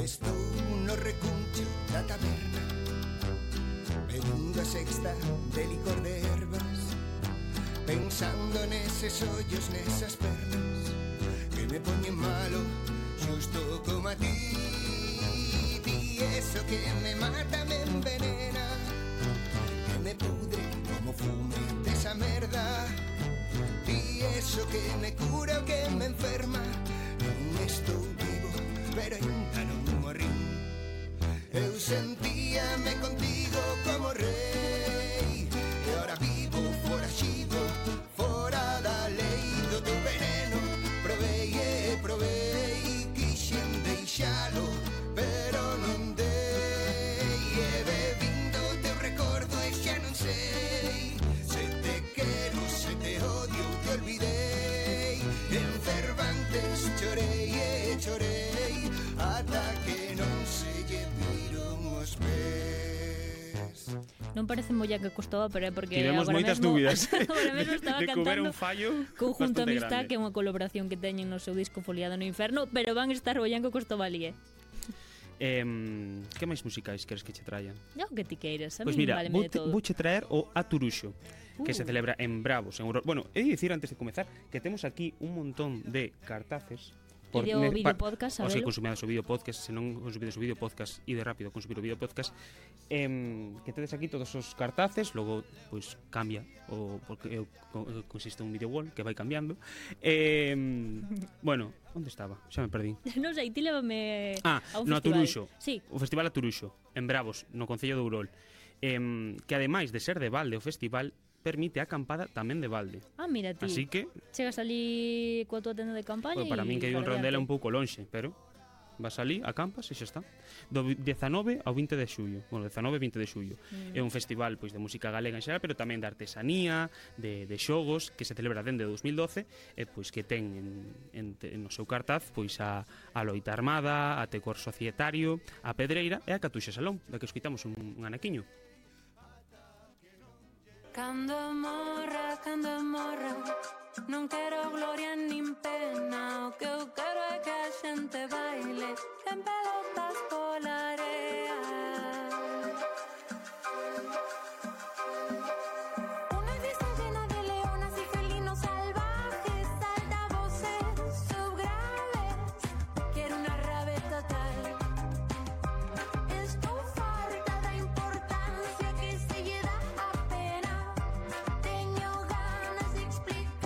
K: Estou no recuncho da taberna, bebindo a sexta de licor de ervas, pensando neses ollos, nesas pernas que me poñen malo, xusto como a ti. Ti eso que me mata, me envenena, que me pudre como fume desa merda. Ti eso que me cura o que me enferma. Non estou vivo, pero ainda non morrín. Eu sentíame contigo como rei, e ora vivo foraxido, fora da lei do teu veneno. Provei e provei, quixen deixalo, pero non dei. E bebindo teu recordo e xa non sei se te quero, se te odio, te olvidei. En Cervantes chorei e chorei ata que non se lle viron os pés.
C: Non parece Boyanca Costova, pero é porque
B: Tivemos
C: agora
B: moitas
C: mesmo,
B: dúbidas
C: agora mesmo estaba
B: de que houbera
C: cantando
B: un fallo
C: Conjunto
B: bastante
C: Amistad,
B: grande.
C: que é unha colaboración que teñen no seu disco Foliado no Inferno, pero van estar Boyanca Costova ali, eh?
B: Eh, que máis musicais queres que che traia?
C: No, que ti queiras, a
B: Pois
C: mí
B: mira,
C: vale
B: vou
C: de
B: te,
C: todo.
B: vouche traer o Aturuxo, que
C: Uh.
B: se celebra en Bravos, en Aurora. Bueno, he de dicir antes de comezar que temos aquí un montón de cartaces.
C: E de o
B: ne-
C: vídeo
B: pa-
C: podcast,
B: O sea,
C: sabelo?
B: consumidas o vídeo podcast, se non consumides o vídeo podcast, ide rápido a consumir o vídeo podcast. Em, que tedes aquí todos os cartaces, logo pois cambia o porque eu, co- consiste un vídeo wall que vai cambiando. Em, bueno, onde estaba? Xa me perdí.
C: Non sei, ti lévame
B: Ah,
C: a un
B: no
C: festival.
B: Aturuxo.
C: Sí.
B: O Festival Aturuxo, en Bravos, no Concello de Ourol. Em, que ademais de ser de balde o festival, permite a acampada tamén de balde.
C: Ah, mira ti.
B: Así que,
C: Chegas ali coa tua tenda de campaña
B: bueno, para
C: e
B: min que hai un
C: para
B: rondela
C: adiante.
B: un pouco lonxe, pero vas ali, acampas e xa está. Do dezanove ao vinte de xullo. Bueno, dezanove e vinte de xullo.
C: Mm.
B: É un festival pois de música galega en xeral, pero tamén de artesanía, de, de xogos, que se celebra dende dous mil doce, e pois que ten en, en, en no seu cartaz pois a, a loita armada, a tecor societario, a pedreira e a catuxa salón, da que escoitamos un, un anaquiño.
F: Cando morra, cando morra, non quero gloria nin pena. O que eu quero é que a xente baile en pelotas pola area. Unha fiesta llena de leonas y felinos salvajes, altavoces subgraves. Quiero una rave total. Estou farta da importancia que se lle dá a pena. Teño ganas de explicar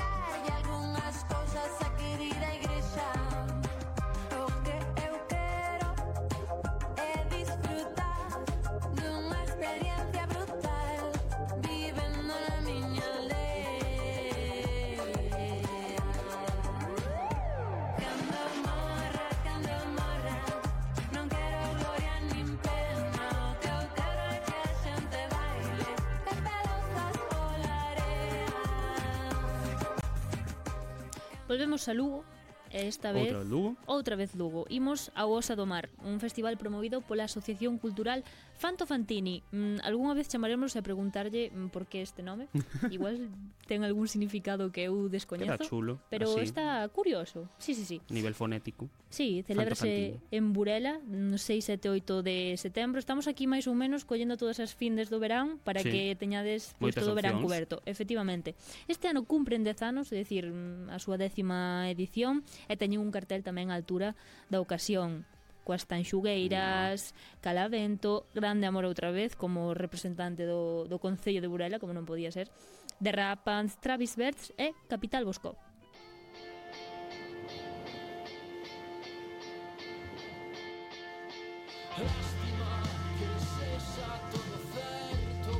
C: Volvemos a Lugo, e esta vez
B: Outra vez Lugo.
C: outra vez Lugo. Imos a Osa do Mar, un festival promovido pola Asociación Cultural Fanto Fantini. Mm, algunha vez chamaremos a preguntarlle mm, por que este nome. Igual ten algún significado que eu descoñezo.
B: Queda chulo,
C: pero
B: así.
C: está curioso. Sí, sí, sí.
B: Nivel fonético.
C: Sí, celébrase en Burela, no seis, sete, oito de setembro. Estamos aquí máis ou menos collendo todas as findes do verán para
B: Sí.
C: que teñades pois,
B: Moitas
C: todo o verán
B: opcións.
C: cuberto. Efectivamente. Este ano cumpren dez anos, é dicir, mm, a súa décima edición, e teñen un cartel tamén á altura da ocasión, coas tanxugueiras, Calavento, Grande Amor outra vez, como representante do, do Concello de Burela, como non podía ser, Derrapans, Travis Berts e Capital Bosco.
I: Lástima que sexa todo certo.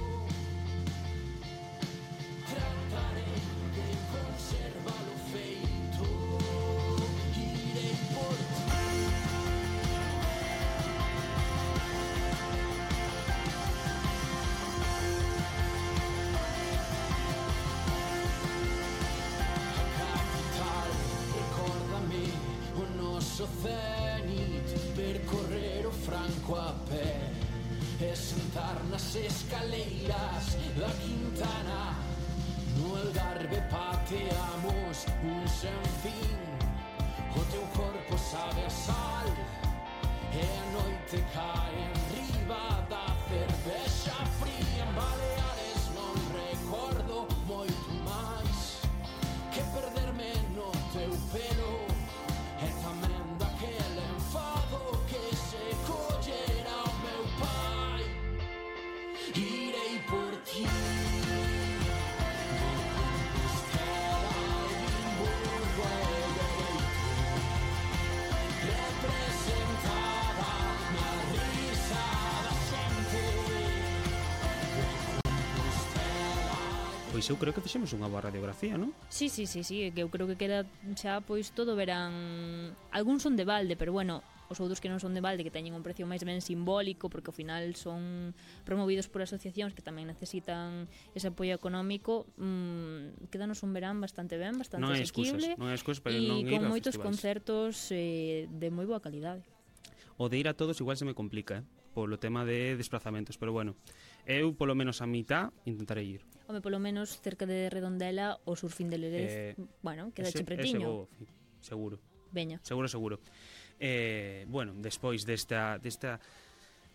I: Tratarei de conservalo feito. Irei por ti. A capital, recórdame o noso cenit, percorrer o Franco a pé e sentar nas escaleiras da Quintana. No Algarve pateamos un sen fin, o teu corpo sabe a sal e a noite cae en riba da cervexa fría. En Baleares non recordo moito máis que perderme no teu pelo e tamén daquele enfado que se collera o meu pai. Irei por ti. Representada na risa da xente.
B: Pois eu creo que fixemos unha boa radiografía, non?
C: Sí, sí, sí, sí, que eu creo que queda xa pois todo verán. Algúns son de balde, pero bueno, os outros que non son de balde, que teñen un precio máis ben simbólico, porque ao final son promovidos por asociacións que tamén necesitan ese apoio económico, mmm, quedanos un verán bastante ben, bastante
B: Non hai excusas,
C: asequible,
B: non hai excusas para
C: e
B: non ir
C: con
B: a
C: moitos
B: festivais.
C: concertos eh, de moi boa calidade.
B: O de ir a todos igual se me complica, eh? Polo tema de desplazamentos, pero bueno, eu polo menos a mitad intentarei ir.
C: Home, polo menos cerca de Redondela o Surfín de Lerez,
B: Eh,
C: bueno, queda
B: ese,
C: che pretiño.
B: ese vou, fi, seguro.
C: Veña.
B: Seguro, seguro. Eh, bueno, despois desta, desta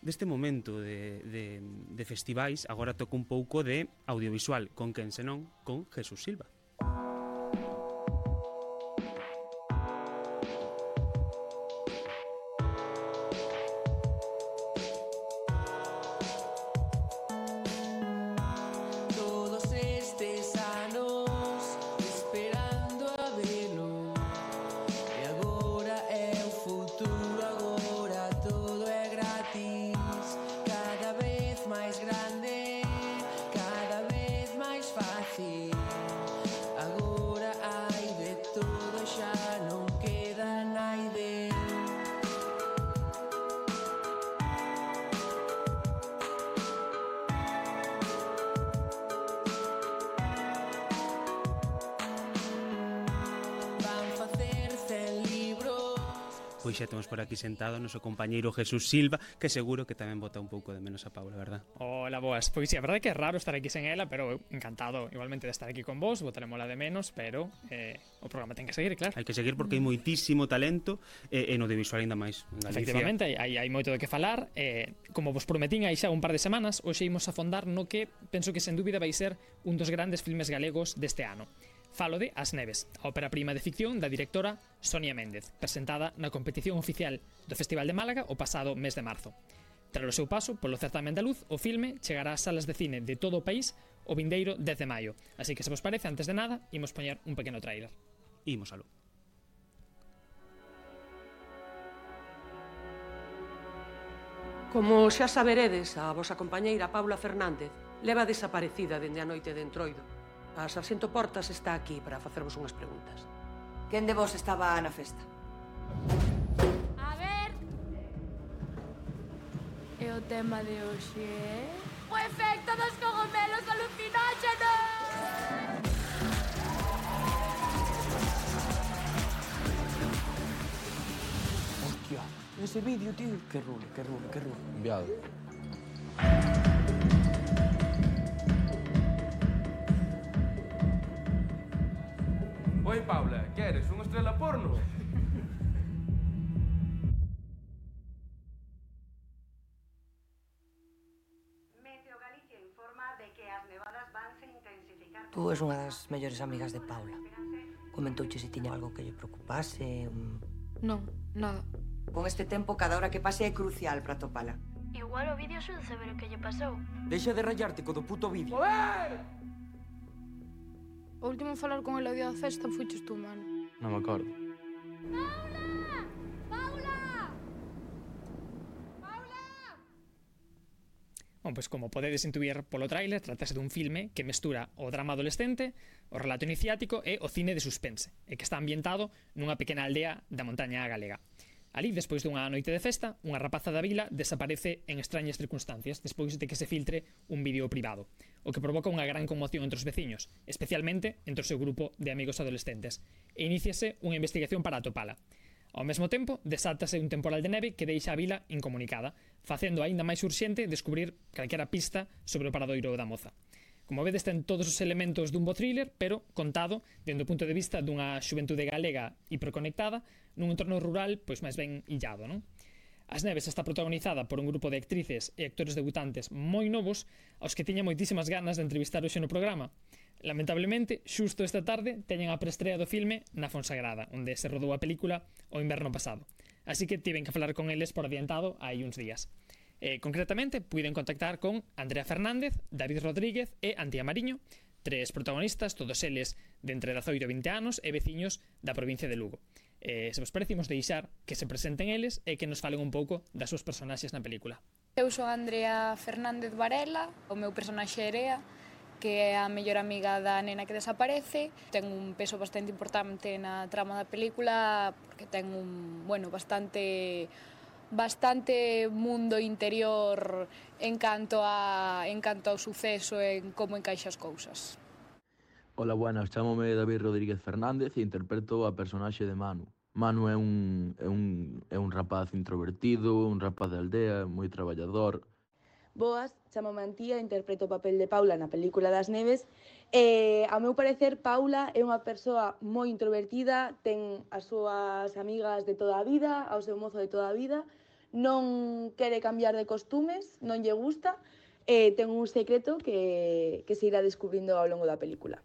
B: deste momento de, de, de festivais, agora toca un pouco de audiovisual, con quen senón, con Jesús Silva.
I: Todos estes anos esperando a velo, e agora é o futuro, agora todo é gratis. Cada vez máis grande, cada vez máis fácil. Agora hai de todo, xa non queda naide. Van facer cen libros.
B: Pois xa temos por aquí sentado o noso compañeiro Jesús Silva, que seguro que tamén bota un pouco de menos a Paula, verdad?
L: Hola, boas. Pois sí, a verdade é que é raro estar aquí sen ela, pero eu encantado igualmente de estar aquí con vos, botarémola de menos, pero eh, o programa ten que seguir, claro.
B: Hai que seguir porque hai moitísimo talento e, e no audiovisual ainda máis. En Galicia.
L: Efectivamente, hai, hai moito de que falar. eh, Como vos prometín hai xa un par de semanas, hoxe imos a fondar no que penso que sen dúbida vai ser un dos grandes filmes galegos deste ano. Falo de As Neves, a ópera prima de ficción da directora Sonia Méndez, presentada na competición oficial do Festival de Málaga o pasado mes de marzo. Tras o seu paso polo certamen da luz, o filme chegará ás salas de cine de todo o país o vindeiro dez de maio. Así que, se vos parece, antes de nada, imos poñer un pequeno tráiler.
B: Imos aló.
M: Como xa saberedes, a vosa compañeira Paula Fernández leva desaparecida dende a noite de Entroido. A Sarxento Portas está aquí para facervos unhas preguntas.
N: Quen de vos estaba na festa?
O: A ver... E o tema de hoxe é... O efecto dos cogomelos alucinóxenos!
P: ese vídeo, tío. Que rulo, que rulo, que rulo.
Q: Enviado.
R: Oi, Paula, queres unha estrela porno?
N: Tú és unha das mellores amigas de Paula. Comentouche se tiña algo que lle preocupase? Un...
O: Non, nada.
N: Con este tempo, cada hora que pase é crucial para topala.
O: Igual o vídeo axuda a saber o que lle pasou.
P: Deixa de rayarte co do puto vídeo.
O: Joder! O último a falar con el o día da festa fuches tú, mano.
Q: Non me acordo.
L: Bom, pois como podedes intuir polo tráiler, tratase dun filme que mestura o drama adolescente, o relato iniciático e o cine de suspense, e que está ambientado nunha pequena aldea da montaña galega. Ali, despois dunha noite de festa, unha rapaza da vila desaparece en extrañas circunstancias despois de que se filtre un vídeo privado, o que provoca unha gran conmoción entre os veciños, especialmente entre o seu grupo de amigos adolescentes, e iníciase unha investigación para atopala. Ao mesmo tempo, desátase un temporal de neve que deixa a vila incomunicada, facendo aínda máis urxente descubrir calquera pista sobre o paradoiro da moza. Como vedes, ten todos os elementos dun bo thriller, pero contado dende o punto de vista dunha xuventude galega hiperconectada nun entorno rural pois máis ben illado, non? As Neves está protagonizada por un grupo de actrices e actores debutantes moi novos aos que tiña moitísimas ganas de entrevistar hoxe no programa. Lamentablemente, xusto esta tarde teñen a preestrea do filme na Fonsagrada, onde se rodou a película o inverno pasado. Así que tiven que falar con eles por adiantado hai uns días. Eh, concretamente, puiden contactar con Andrea Fernández, David Rodríguez e Antía Mariño, tres protagonistas, todos eles de entre dezaoito e vinte anos e veciños da provincia de Lugo. Eh, se vos parecimos deixar que se presenten eles e que nos falen un pouco das súas personaxes na película.
O: Eu son Andrea Fernández Varela, o meu personaxe é Erea, que é a mellor amiga da nena que desaparece. Ten un peso bastante importante na trama da película porque ten un, bueno, bastante bastante mundo interior en canto a en canto ao suceso e en como encaixa as cousas.
Q: Hola, buenas, chámome David Rodríguez Fernández e interpreto a personaxe de Manu. Manu é un, é un, é un rapaz introvertido, un rapaz de aldea, moi traballador.
S: Boas, chamame Antía, interpreto o papel de Paula na película das Neves. E, ao meu parecer, Paula é unha persoa moi introvertida, ten as súas amigas de toda a vida, ao seu mozo de toda a vida, non quere cambiar de costumes, non lle gusta, e ten un secreto que, que se irá descubrindo ao longo da película.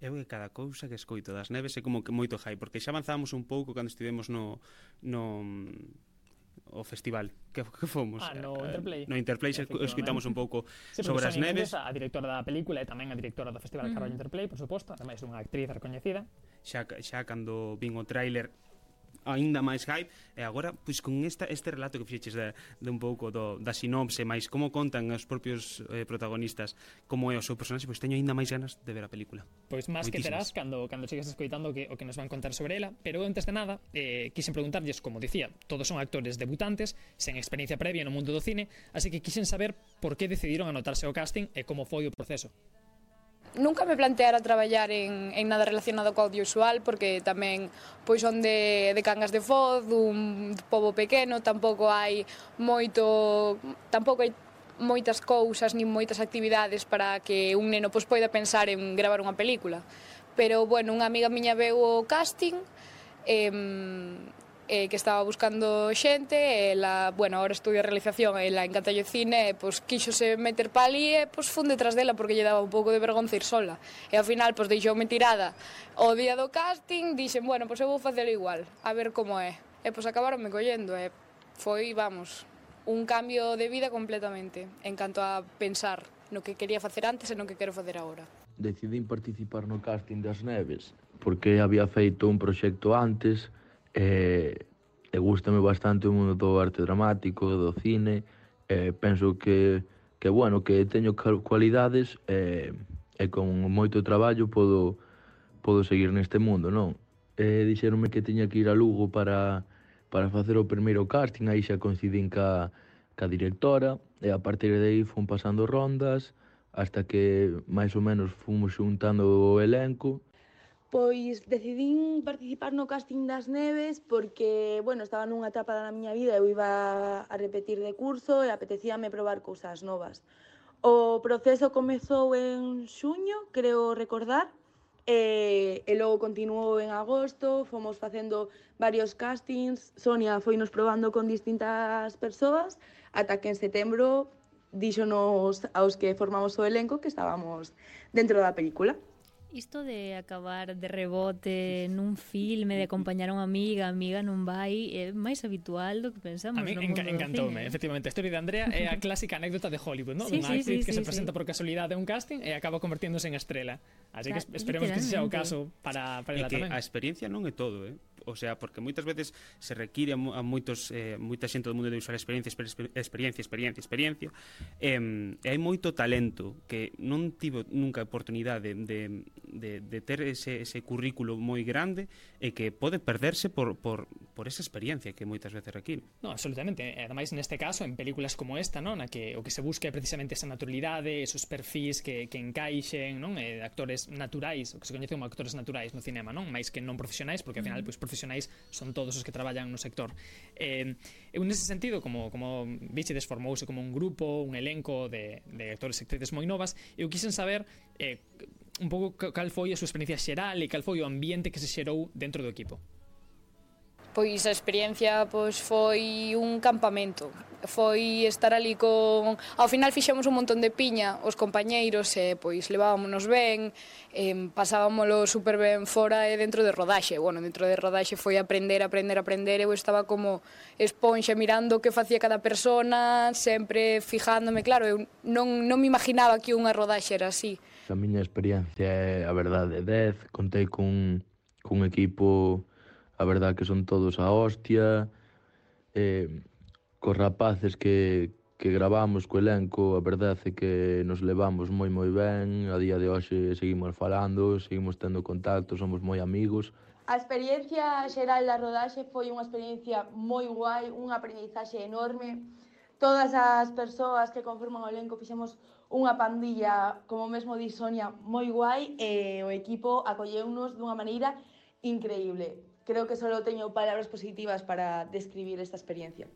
B: Eu que cada cousa que escoito das Neves é como que moito hype, porque xa avanzamos un pouco cando estivemos no... no o festival que, que fomos
L: ah, no Interplay
B: no Interplay escoitamos un pouco
L: sí,
B: sobre as Neves,
L: a directora da película e tamén a directora do festival mm. Carballo Interplay, por suposto, ademais unha actriz recoñecida.
B: Xa, xa cando vin o tráiler aínda máis hype, e agora pois con esta, este relato que fixeches de, de un pouco do, da sinopse, máis como contan os propios eh, protagonistas como é o seu personaxe, pois teño aínda máis ganas de ver a película.
L: Pois máis que terás cando, cando chegues escoitando que, o que nos van contar sobre ela, pero antes de nada eh, quixen preguntarlles, como dicía, todos son actores debutantes sen experiencia previa no mundo do cine, así que quixen saber por que decidiron anotarse ao casting e como foi o proceso.
O: Nunca me planteara traballar en, en nada relacionado co audiovisual porque tamén pois son de, de Cangas de Foz, un pobo pequeno, tampouco hai moito, tampouco hai moitas cousas nin moitas actividades para que un neno pois poida pensar en gravar unha película. Pero, bueno, unha amiga miña veu o casting e, eh, que estaba buscando xente, e ela, bueno, agora estudia realización e ela encanta o cine, e pois quíxose meter pa ali e pois fun detrás dela porque lle daba un pouco de vergonza ir sola. E ao final pois deixoume tirada o día do casting, dixen, bueno, pois eu vou facer igual, a ver como é. E pois acabaronme collendo e foi, vamos, un cambio de vida completamente en canto a pensar no que quería facer antes e no que quero facer agora.
Q: Decidín participar no casting das Neves porque había feito un proxecto antes e, e gústame bastante o mundo do arte dramático, do cine, e penso que, que bueno, que teño cualidades e, e con moito traballo podo, podo seguir neste mundo, non? E dixeronme que tiña que ir a Lugo para, para facer o primeiro casting, aí xa coincidín ca, ca directora, e a partir de aí fun pasando rondas, hasta que máis ou menos fomos xuntando o elenco.
S: Pois decidín participar no casting das Neves porque, bueno, estaba nunha etapa da miña vida, eu iba a repetir de curso e apetecíame probar cousas novas. O proceso comezou en xuño, creo recordar, e, e logo continuou en agosto, fomos facendo varios castings, Sonia foinos probando con distintas persoas, ata que en setembro díxonos aos que formamos o elenco que estábamos dentro da película.
C: Isto de acabar de rebote nun filme, de acompañar a unha amiga, a amiga non vai, é máis habitual do que pensamos
L: a mí
C: no mundo
L: enca
C: do
L: encantoume,
C: cine.
L: Efectivamente, a historia de Andrea é a clásica anécdota de Hollywood, ¿no?
C: Sí,
L: Unha
C: sí,
L: actriz
C: sí,
L: que
C: sí,
L: se presenta
C: sí.
L: por casualidade a un casting e acaba convertiéndose en estrela. Así que
C: Claro,
L: esperemos que ese sea o
C: literalmente.
L: caso para, para
B: É
L: ela
B: que
L: tamén.
B: a experiencia non é todo, eh? O sea, porque moitas veces se require a, mo- a moitos eh, moita xente do mundo de usar experiencia, exper- exper- experiencia, experiencia, experiencia. Eh, e hai moito talento que non tivo nunca a oportunidade de, de, de ter ese, ese currículo moi grande e que pode perderse por, por, por esa experiencia que moitas veces require.
L: No, absolutamente. E ademais, neste caso, en películas como esta, non? Na que o que se busca é precisamente esa naturalidade, esos perfis que, que encaixen, non? Eh, de actores naturais, o que se coñece como actores naturais no cinema, non? Mais que non profesionais, porque ao final, pois, profesionais son todos os que traballan no sector. Eh, eu nese sentido, como, como Bichides formouse como un grupo, un elenco de, de actores e actrices moi novas, eu quixen saber eh, un pouco cal foi a súa experiencia xeral e cal foi o ambiente que se xerou dentro do equipo.
O: Pois a experiencia pois foi un campamento. Foi estar ali con... Ao final fixemos un montón de piña os compañeiros e pois levábamonos ben, eh, pasábamolo super ben fora e dentro de rodaxe. Bueno, dentro de rodaxe foi aprender, aprender, aprender. Eu estaba como esponxa mirando o que facía cada persona, sempre fijándome. Claro, eu non, non me imaginaba que unha rodaxe era así.
Q: A miña experiencia é, a verdade, dez. Contei cun, cun equipo, a verdade que son todos a hostia. Eh, cos rapaces que, que gravamos co elenco, a verdade é que nos levamos moi moi ben. A día de hoxe seguimos falando, seguimos tendo contacto, somos moi amigos.
S: A experiencia xeral da rodaxe foi unha experiencia moi guai, un aprendizaxe enorme. Todas as persoas que conforman o elenco fixemos unha pandilla, como mesmo di Sonia, moi guai e o equipo acolleunos dunha maneira increíble. Creo que só teño palabras positivas para describir esta experiencia.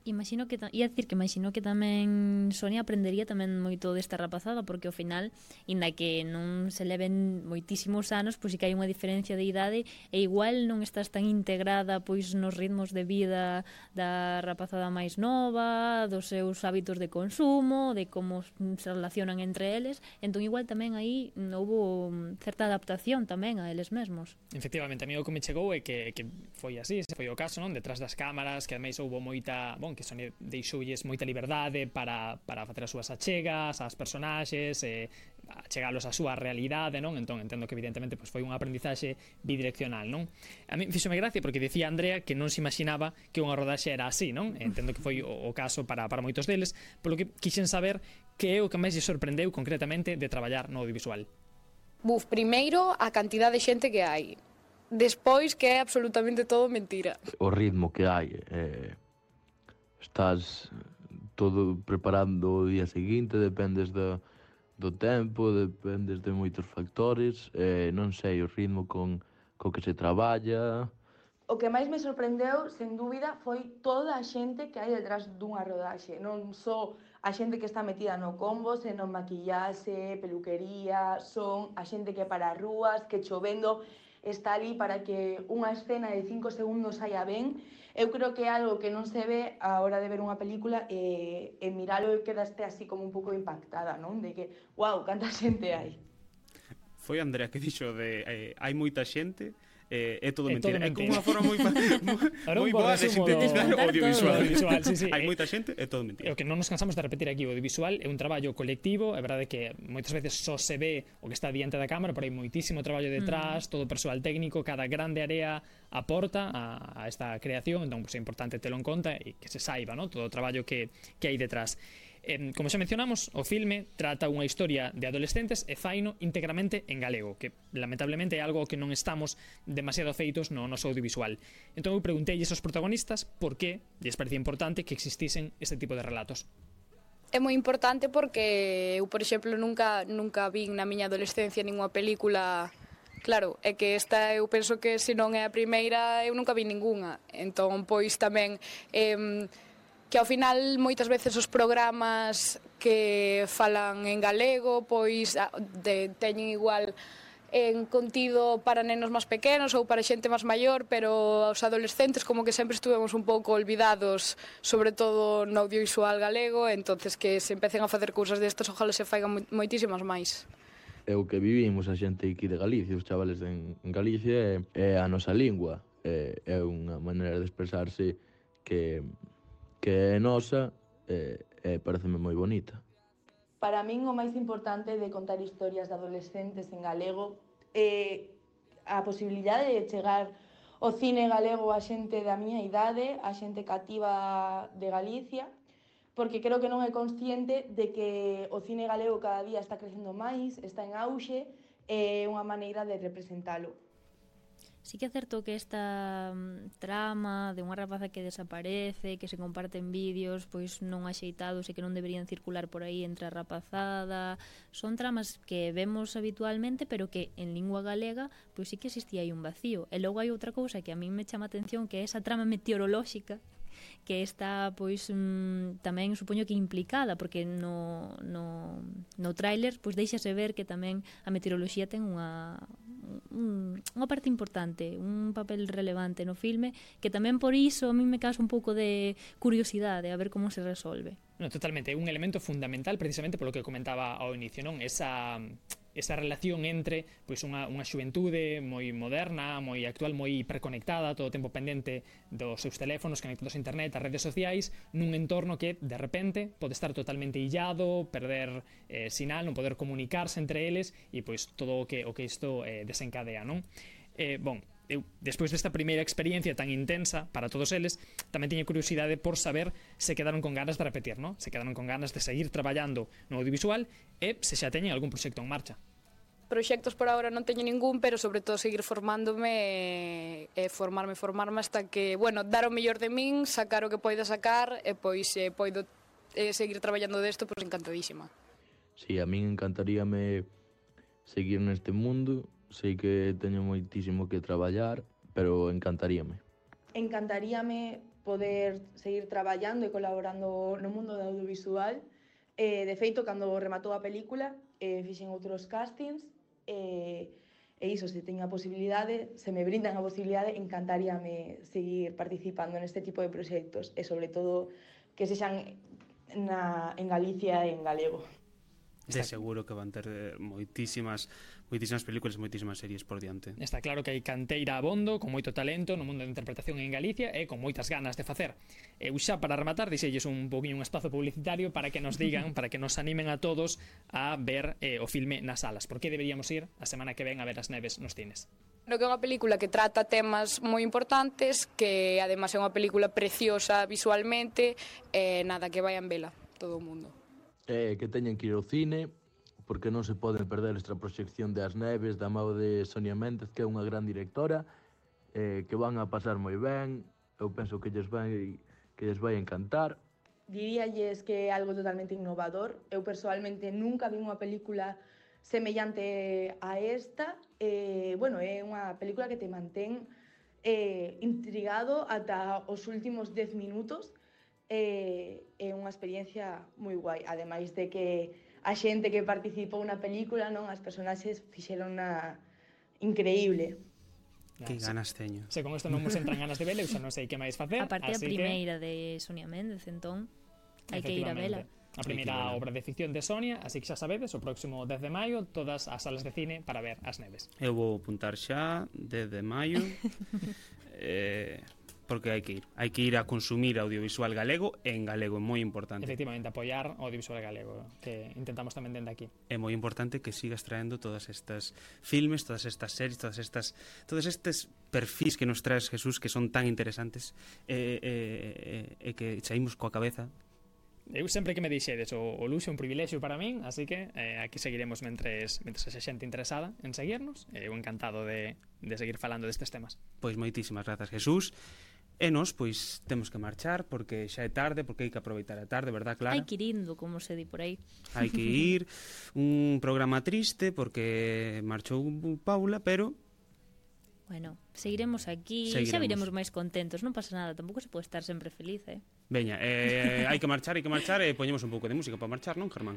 C: Imagino que, ta- ia dicir que imagino que tamén Sonia aprendería tamén moito desta rapazada, porque ao final, inda que non se leven moitísimos anos, pois si que hai unha diferencia de idade e igual non estás tan integrada pois nos ritmos de vida da rapazada máis nova, dos seus hábitos de consumo, de como se relacionan entre eles, entón igual tamén aí houbo certa adaptación tamén a eles mesmos.
L: Efectivamente, a mí o que me chegou é que, que foi así, ese foi o caso, non? Detrás das cámaras, que ademais houbo moita, bon, que Sonia deixoulles moita liberdade para, para facer as súas achegas ás personaxes, e achegalos á súa realidade, non? Entón, entendo que evidentemente pois, foi un aprendizaxe bidireccional, non? A mí fíxome gracia porque dicía Andrea que non se imaginaba que unha rodaxe era así, non? Entendo que foi o, o caso para, para moitos deles, polo que quixen saber que é o que máis lle sorprendeu concretamente de traballar no audiovisual.
O: Buf, primeiro a cantidad de xente que hai. Despois que é absolutamente todo mentira.
Q: O ritmo que hai, eh, estás todo preparando o día seguinte, dependes do, do tempo, dependes de moitos factores, eh, non sei, o ritmo con co que se traballa.
S: O que máis me sorprendeu, sen dúbida, foi toda a xente que hai detrás dunha rodaxe. Non só a xente que está metida no combo, senón maquillaxe, peluquería, son a xente que para as rúas, que chovendo está ali para que unha escena de cinco segundos saia ben. Eu creo que é algo que non se ve a hora de ver unha película e, e miralo e quedaste así como un pouco impactada, non? De que, wow, canta xente hai.
B: Foi Andrea que dixo de eh, hai moita xente, eh, é todo
L: É
B: mentira.
L: todo
B: É como
L: mentira.
B: unha forma moi, moi boa de sintetizar o audiovisual.
L: audiovisual sí, sí.
B: Hai moita xente, é todo mentira.
L: É o que non nos cansamos de repetir aquí, o audiovisual é un traballo colectivo, é verdade que moitas veces só se ve o que está diante da cámara, pero hai moitísimo traballo detrás, mm. todo o persoal técnico, cada grande área aporta a, a esta creación, entón pues, é importante telo en conta e que se saiba, ¿no? Todo o traballo que, que hai detrás. Eh, como xa mencionamos, o filme trata unha historia de adolescentes e faino íntegramente en galego, que lamentablemente é algo que non estamos demasiado feitos no noso audiovisual. Entón eu preguntei aos protagonistas por que lles parecía importante que existisen este tipo de relatos.
O: É moi importante porque eu, por exemplo, nunca nunca vin na miña adolescencia ninguna película Claro, é que esta eu penso que se non é a primeira eu nunca vi ningunha. Entón, pois tamén eh, que ao final moitas veces os programas que falan en galego pois de, teñen igual en contido para nenos máis pequenos ou para xente máis maior, pero os adolescentes como que sempre estuvemos un pouco olvidados, sobre todo no audiovisual galego, entonces que se empecen a facer cousas destas, ojalá se faigan moitísimas máis.
Q: É o que vivimos a xente aquí de Galicia, os chavales en, en Galicia, é, é a nosa lingua, é, é unha maneira de expresarse que, que é nosa, e, e pareceme moi bonita.
S: Para min o máis importante de contar historias de adolescentes en galego é a posibilidade de chegar o cine galego a xente da miña idade, a xente cativa de Galicia, porque creo que non é consciente de que o cine galego cada día está crecendo máis, está en auxe, e é unha maneira de representalo.
C: Sí que é certo que esta um, trama de unha rapaza que desaparece, que se comparten vídeos pois non axeitados e que non deberían circular por aí entre a rapazada, son tramas que vemos habitualmente, pero que en lingua galega pois sí que existía aí un vacío. E logo hai outra cousa que a mí me chama a atención, que é esa trama meteorolóxica que está pois mm, tamén supoño que implicada, porque no, no, no tráiler pois deixase ver que tamén a meteoroloxía ten unha un, unha parte importante, un papel relevante no filme, que tamén por iso a mí me causa un pouco de curiosidade a ver como se resolve.
L: No, totalmente, é un elemento fundamental precisamente polo que comentaba ao inicio, non? Esa esa relación entre pois unha, unha xuventude moi moderna, moi actual, moi hiperconectada, todo o tempo pendente dos seus teléfonos, conectados a internet, a redes sociais, nun entorno que de repente pode estar totalmente illado, perder eh, sinal, non poder comunicarse entre eles e pois todo o que o que isto eh, desencadea, non? Eh, bon, eu, despois desta primeira experiencia tan intensa para todos eles, tamén tiña curiosidade por saber se quedaron con ganas de repetir, non? Se quedaron con ganas de seguir traballando no audiovisual e se xa teñen algún proxecto en marcha.
O: Proxectos por agora non teño ningún, pero sobre todo seguir formándome e formarme, formarme hasta que, bueno, dar o mellor de min, sacar o que poida sacar e pois eh, poido eh, seguir traballando desto, pois encantadísima.
Q: Si, sí, a min encantaríame seguir neste mundo, sei que teño moitísimo que traballar, pero encantaríame.
S: Encantaríame poder seguir traballando e colaborando no mundo do audiovisual. Eh, de feito, cando rematou a película, eh, fixen outros castings, e, e iso, se teño a posibilidade, se me brindan a posibilidade, encantaríame seguir participando neste tipo de proxectos e, sobre todo, que sexan na, en Galicia e en galego.
B: De seguro que van ter moitísimas moitísimas películas, moitísimas series por diante.
L: Está claro que hai canteira abondo, con moito talento no mundo da interpretación en Galicia e con moitas ganas de facer. Eu xa para rematar dixelles un poquinho un espazo publicitario para que nos digan, para que nos animen a todos a ver eh, o filme nas salas. Por que deberíamos ir a semana que ven a ver As Neves nos cines?
O: Creo que é unha película que trata temas moi importantes, que además é unha película preciosa visualmente, e nada, que vayan vela todo o mundo.
Q: Eh, que teñen que ir ao cine, porque non se poden perder esta proxección de As Neves da mão de Sonia Méndez, que é unha gran directora, eh, que van a pasar moi ben, eu penso que lles vai, que lles vai encantar.
S: Diríalles que é algo totalmente innovador. Eu persoalmente nunca vi unha película semellante a esta. Eh, bueno, é unha película que te mantén eh, intrigado ata os últimos dez minutos. É, é unha experiencia moi guai, ademais de que a xente que participou na película, non, as personaxes fixeron na increíble.
B: Que ganas teño.
L: Se con isto non nos entran ganas de vela, eu xa non sei que máis facer.
C: A parte a
L: así
C: primeira
L: que...
C: de Sonia Méndez, entón hai que ir a vela.
L: A primeira obra de ficción de Sonia, así que xa sabedes, o próximo dez de maio todas as salas de cine para ver As Neves.
B: Eu vou apuntar xa dez de maio. eh... porque hai que ir, hai que ir a consumir audiovisual galego en galego, é moi importante.
L: Efectivamente, apoiar o audiovisual galego, que intentamos tamén dende aquí.
B: É moi importante que sigas traendo todas estas filmes, todas estas series, todas estas todos estes perfis que nos traes, Jesús, que son tan interesantes e eh, eh, eh, que saímos coa cabeza.
L: Eu sempre que me dixedes o, o luxo é un privilexio para min, así que eh, aquí seguiremos mentres, mentres a xente interesada en seguirnos. Eu encantado de, de seguir falando destes temas.
B: Pois moitísimas grazas, Jesús. E nós, pois, temos que marchar porque xa é tarde, porque hai que aproveitar a tarde, verdad, Clara?
C: Hai que ir indo, como se di por aí.
B: Hai que ir. Un programa triste porque marchou Paula, pero...
C: Bueno, seguiremos aquí,
B: Seguiremos.
C: xa viremos máis contentos, non pasa nada, tampouco se pode estar sempre feliz, eh?
B: Veña, eh, hai que marchar, hai que marchar e poñemos un pouco de música para marchar, non, Germán?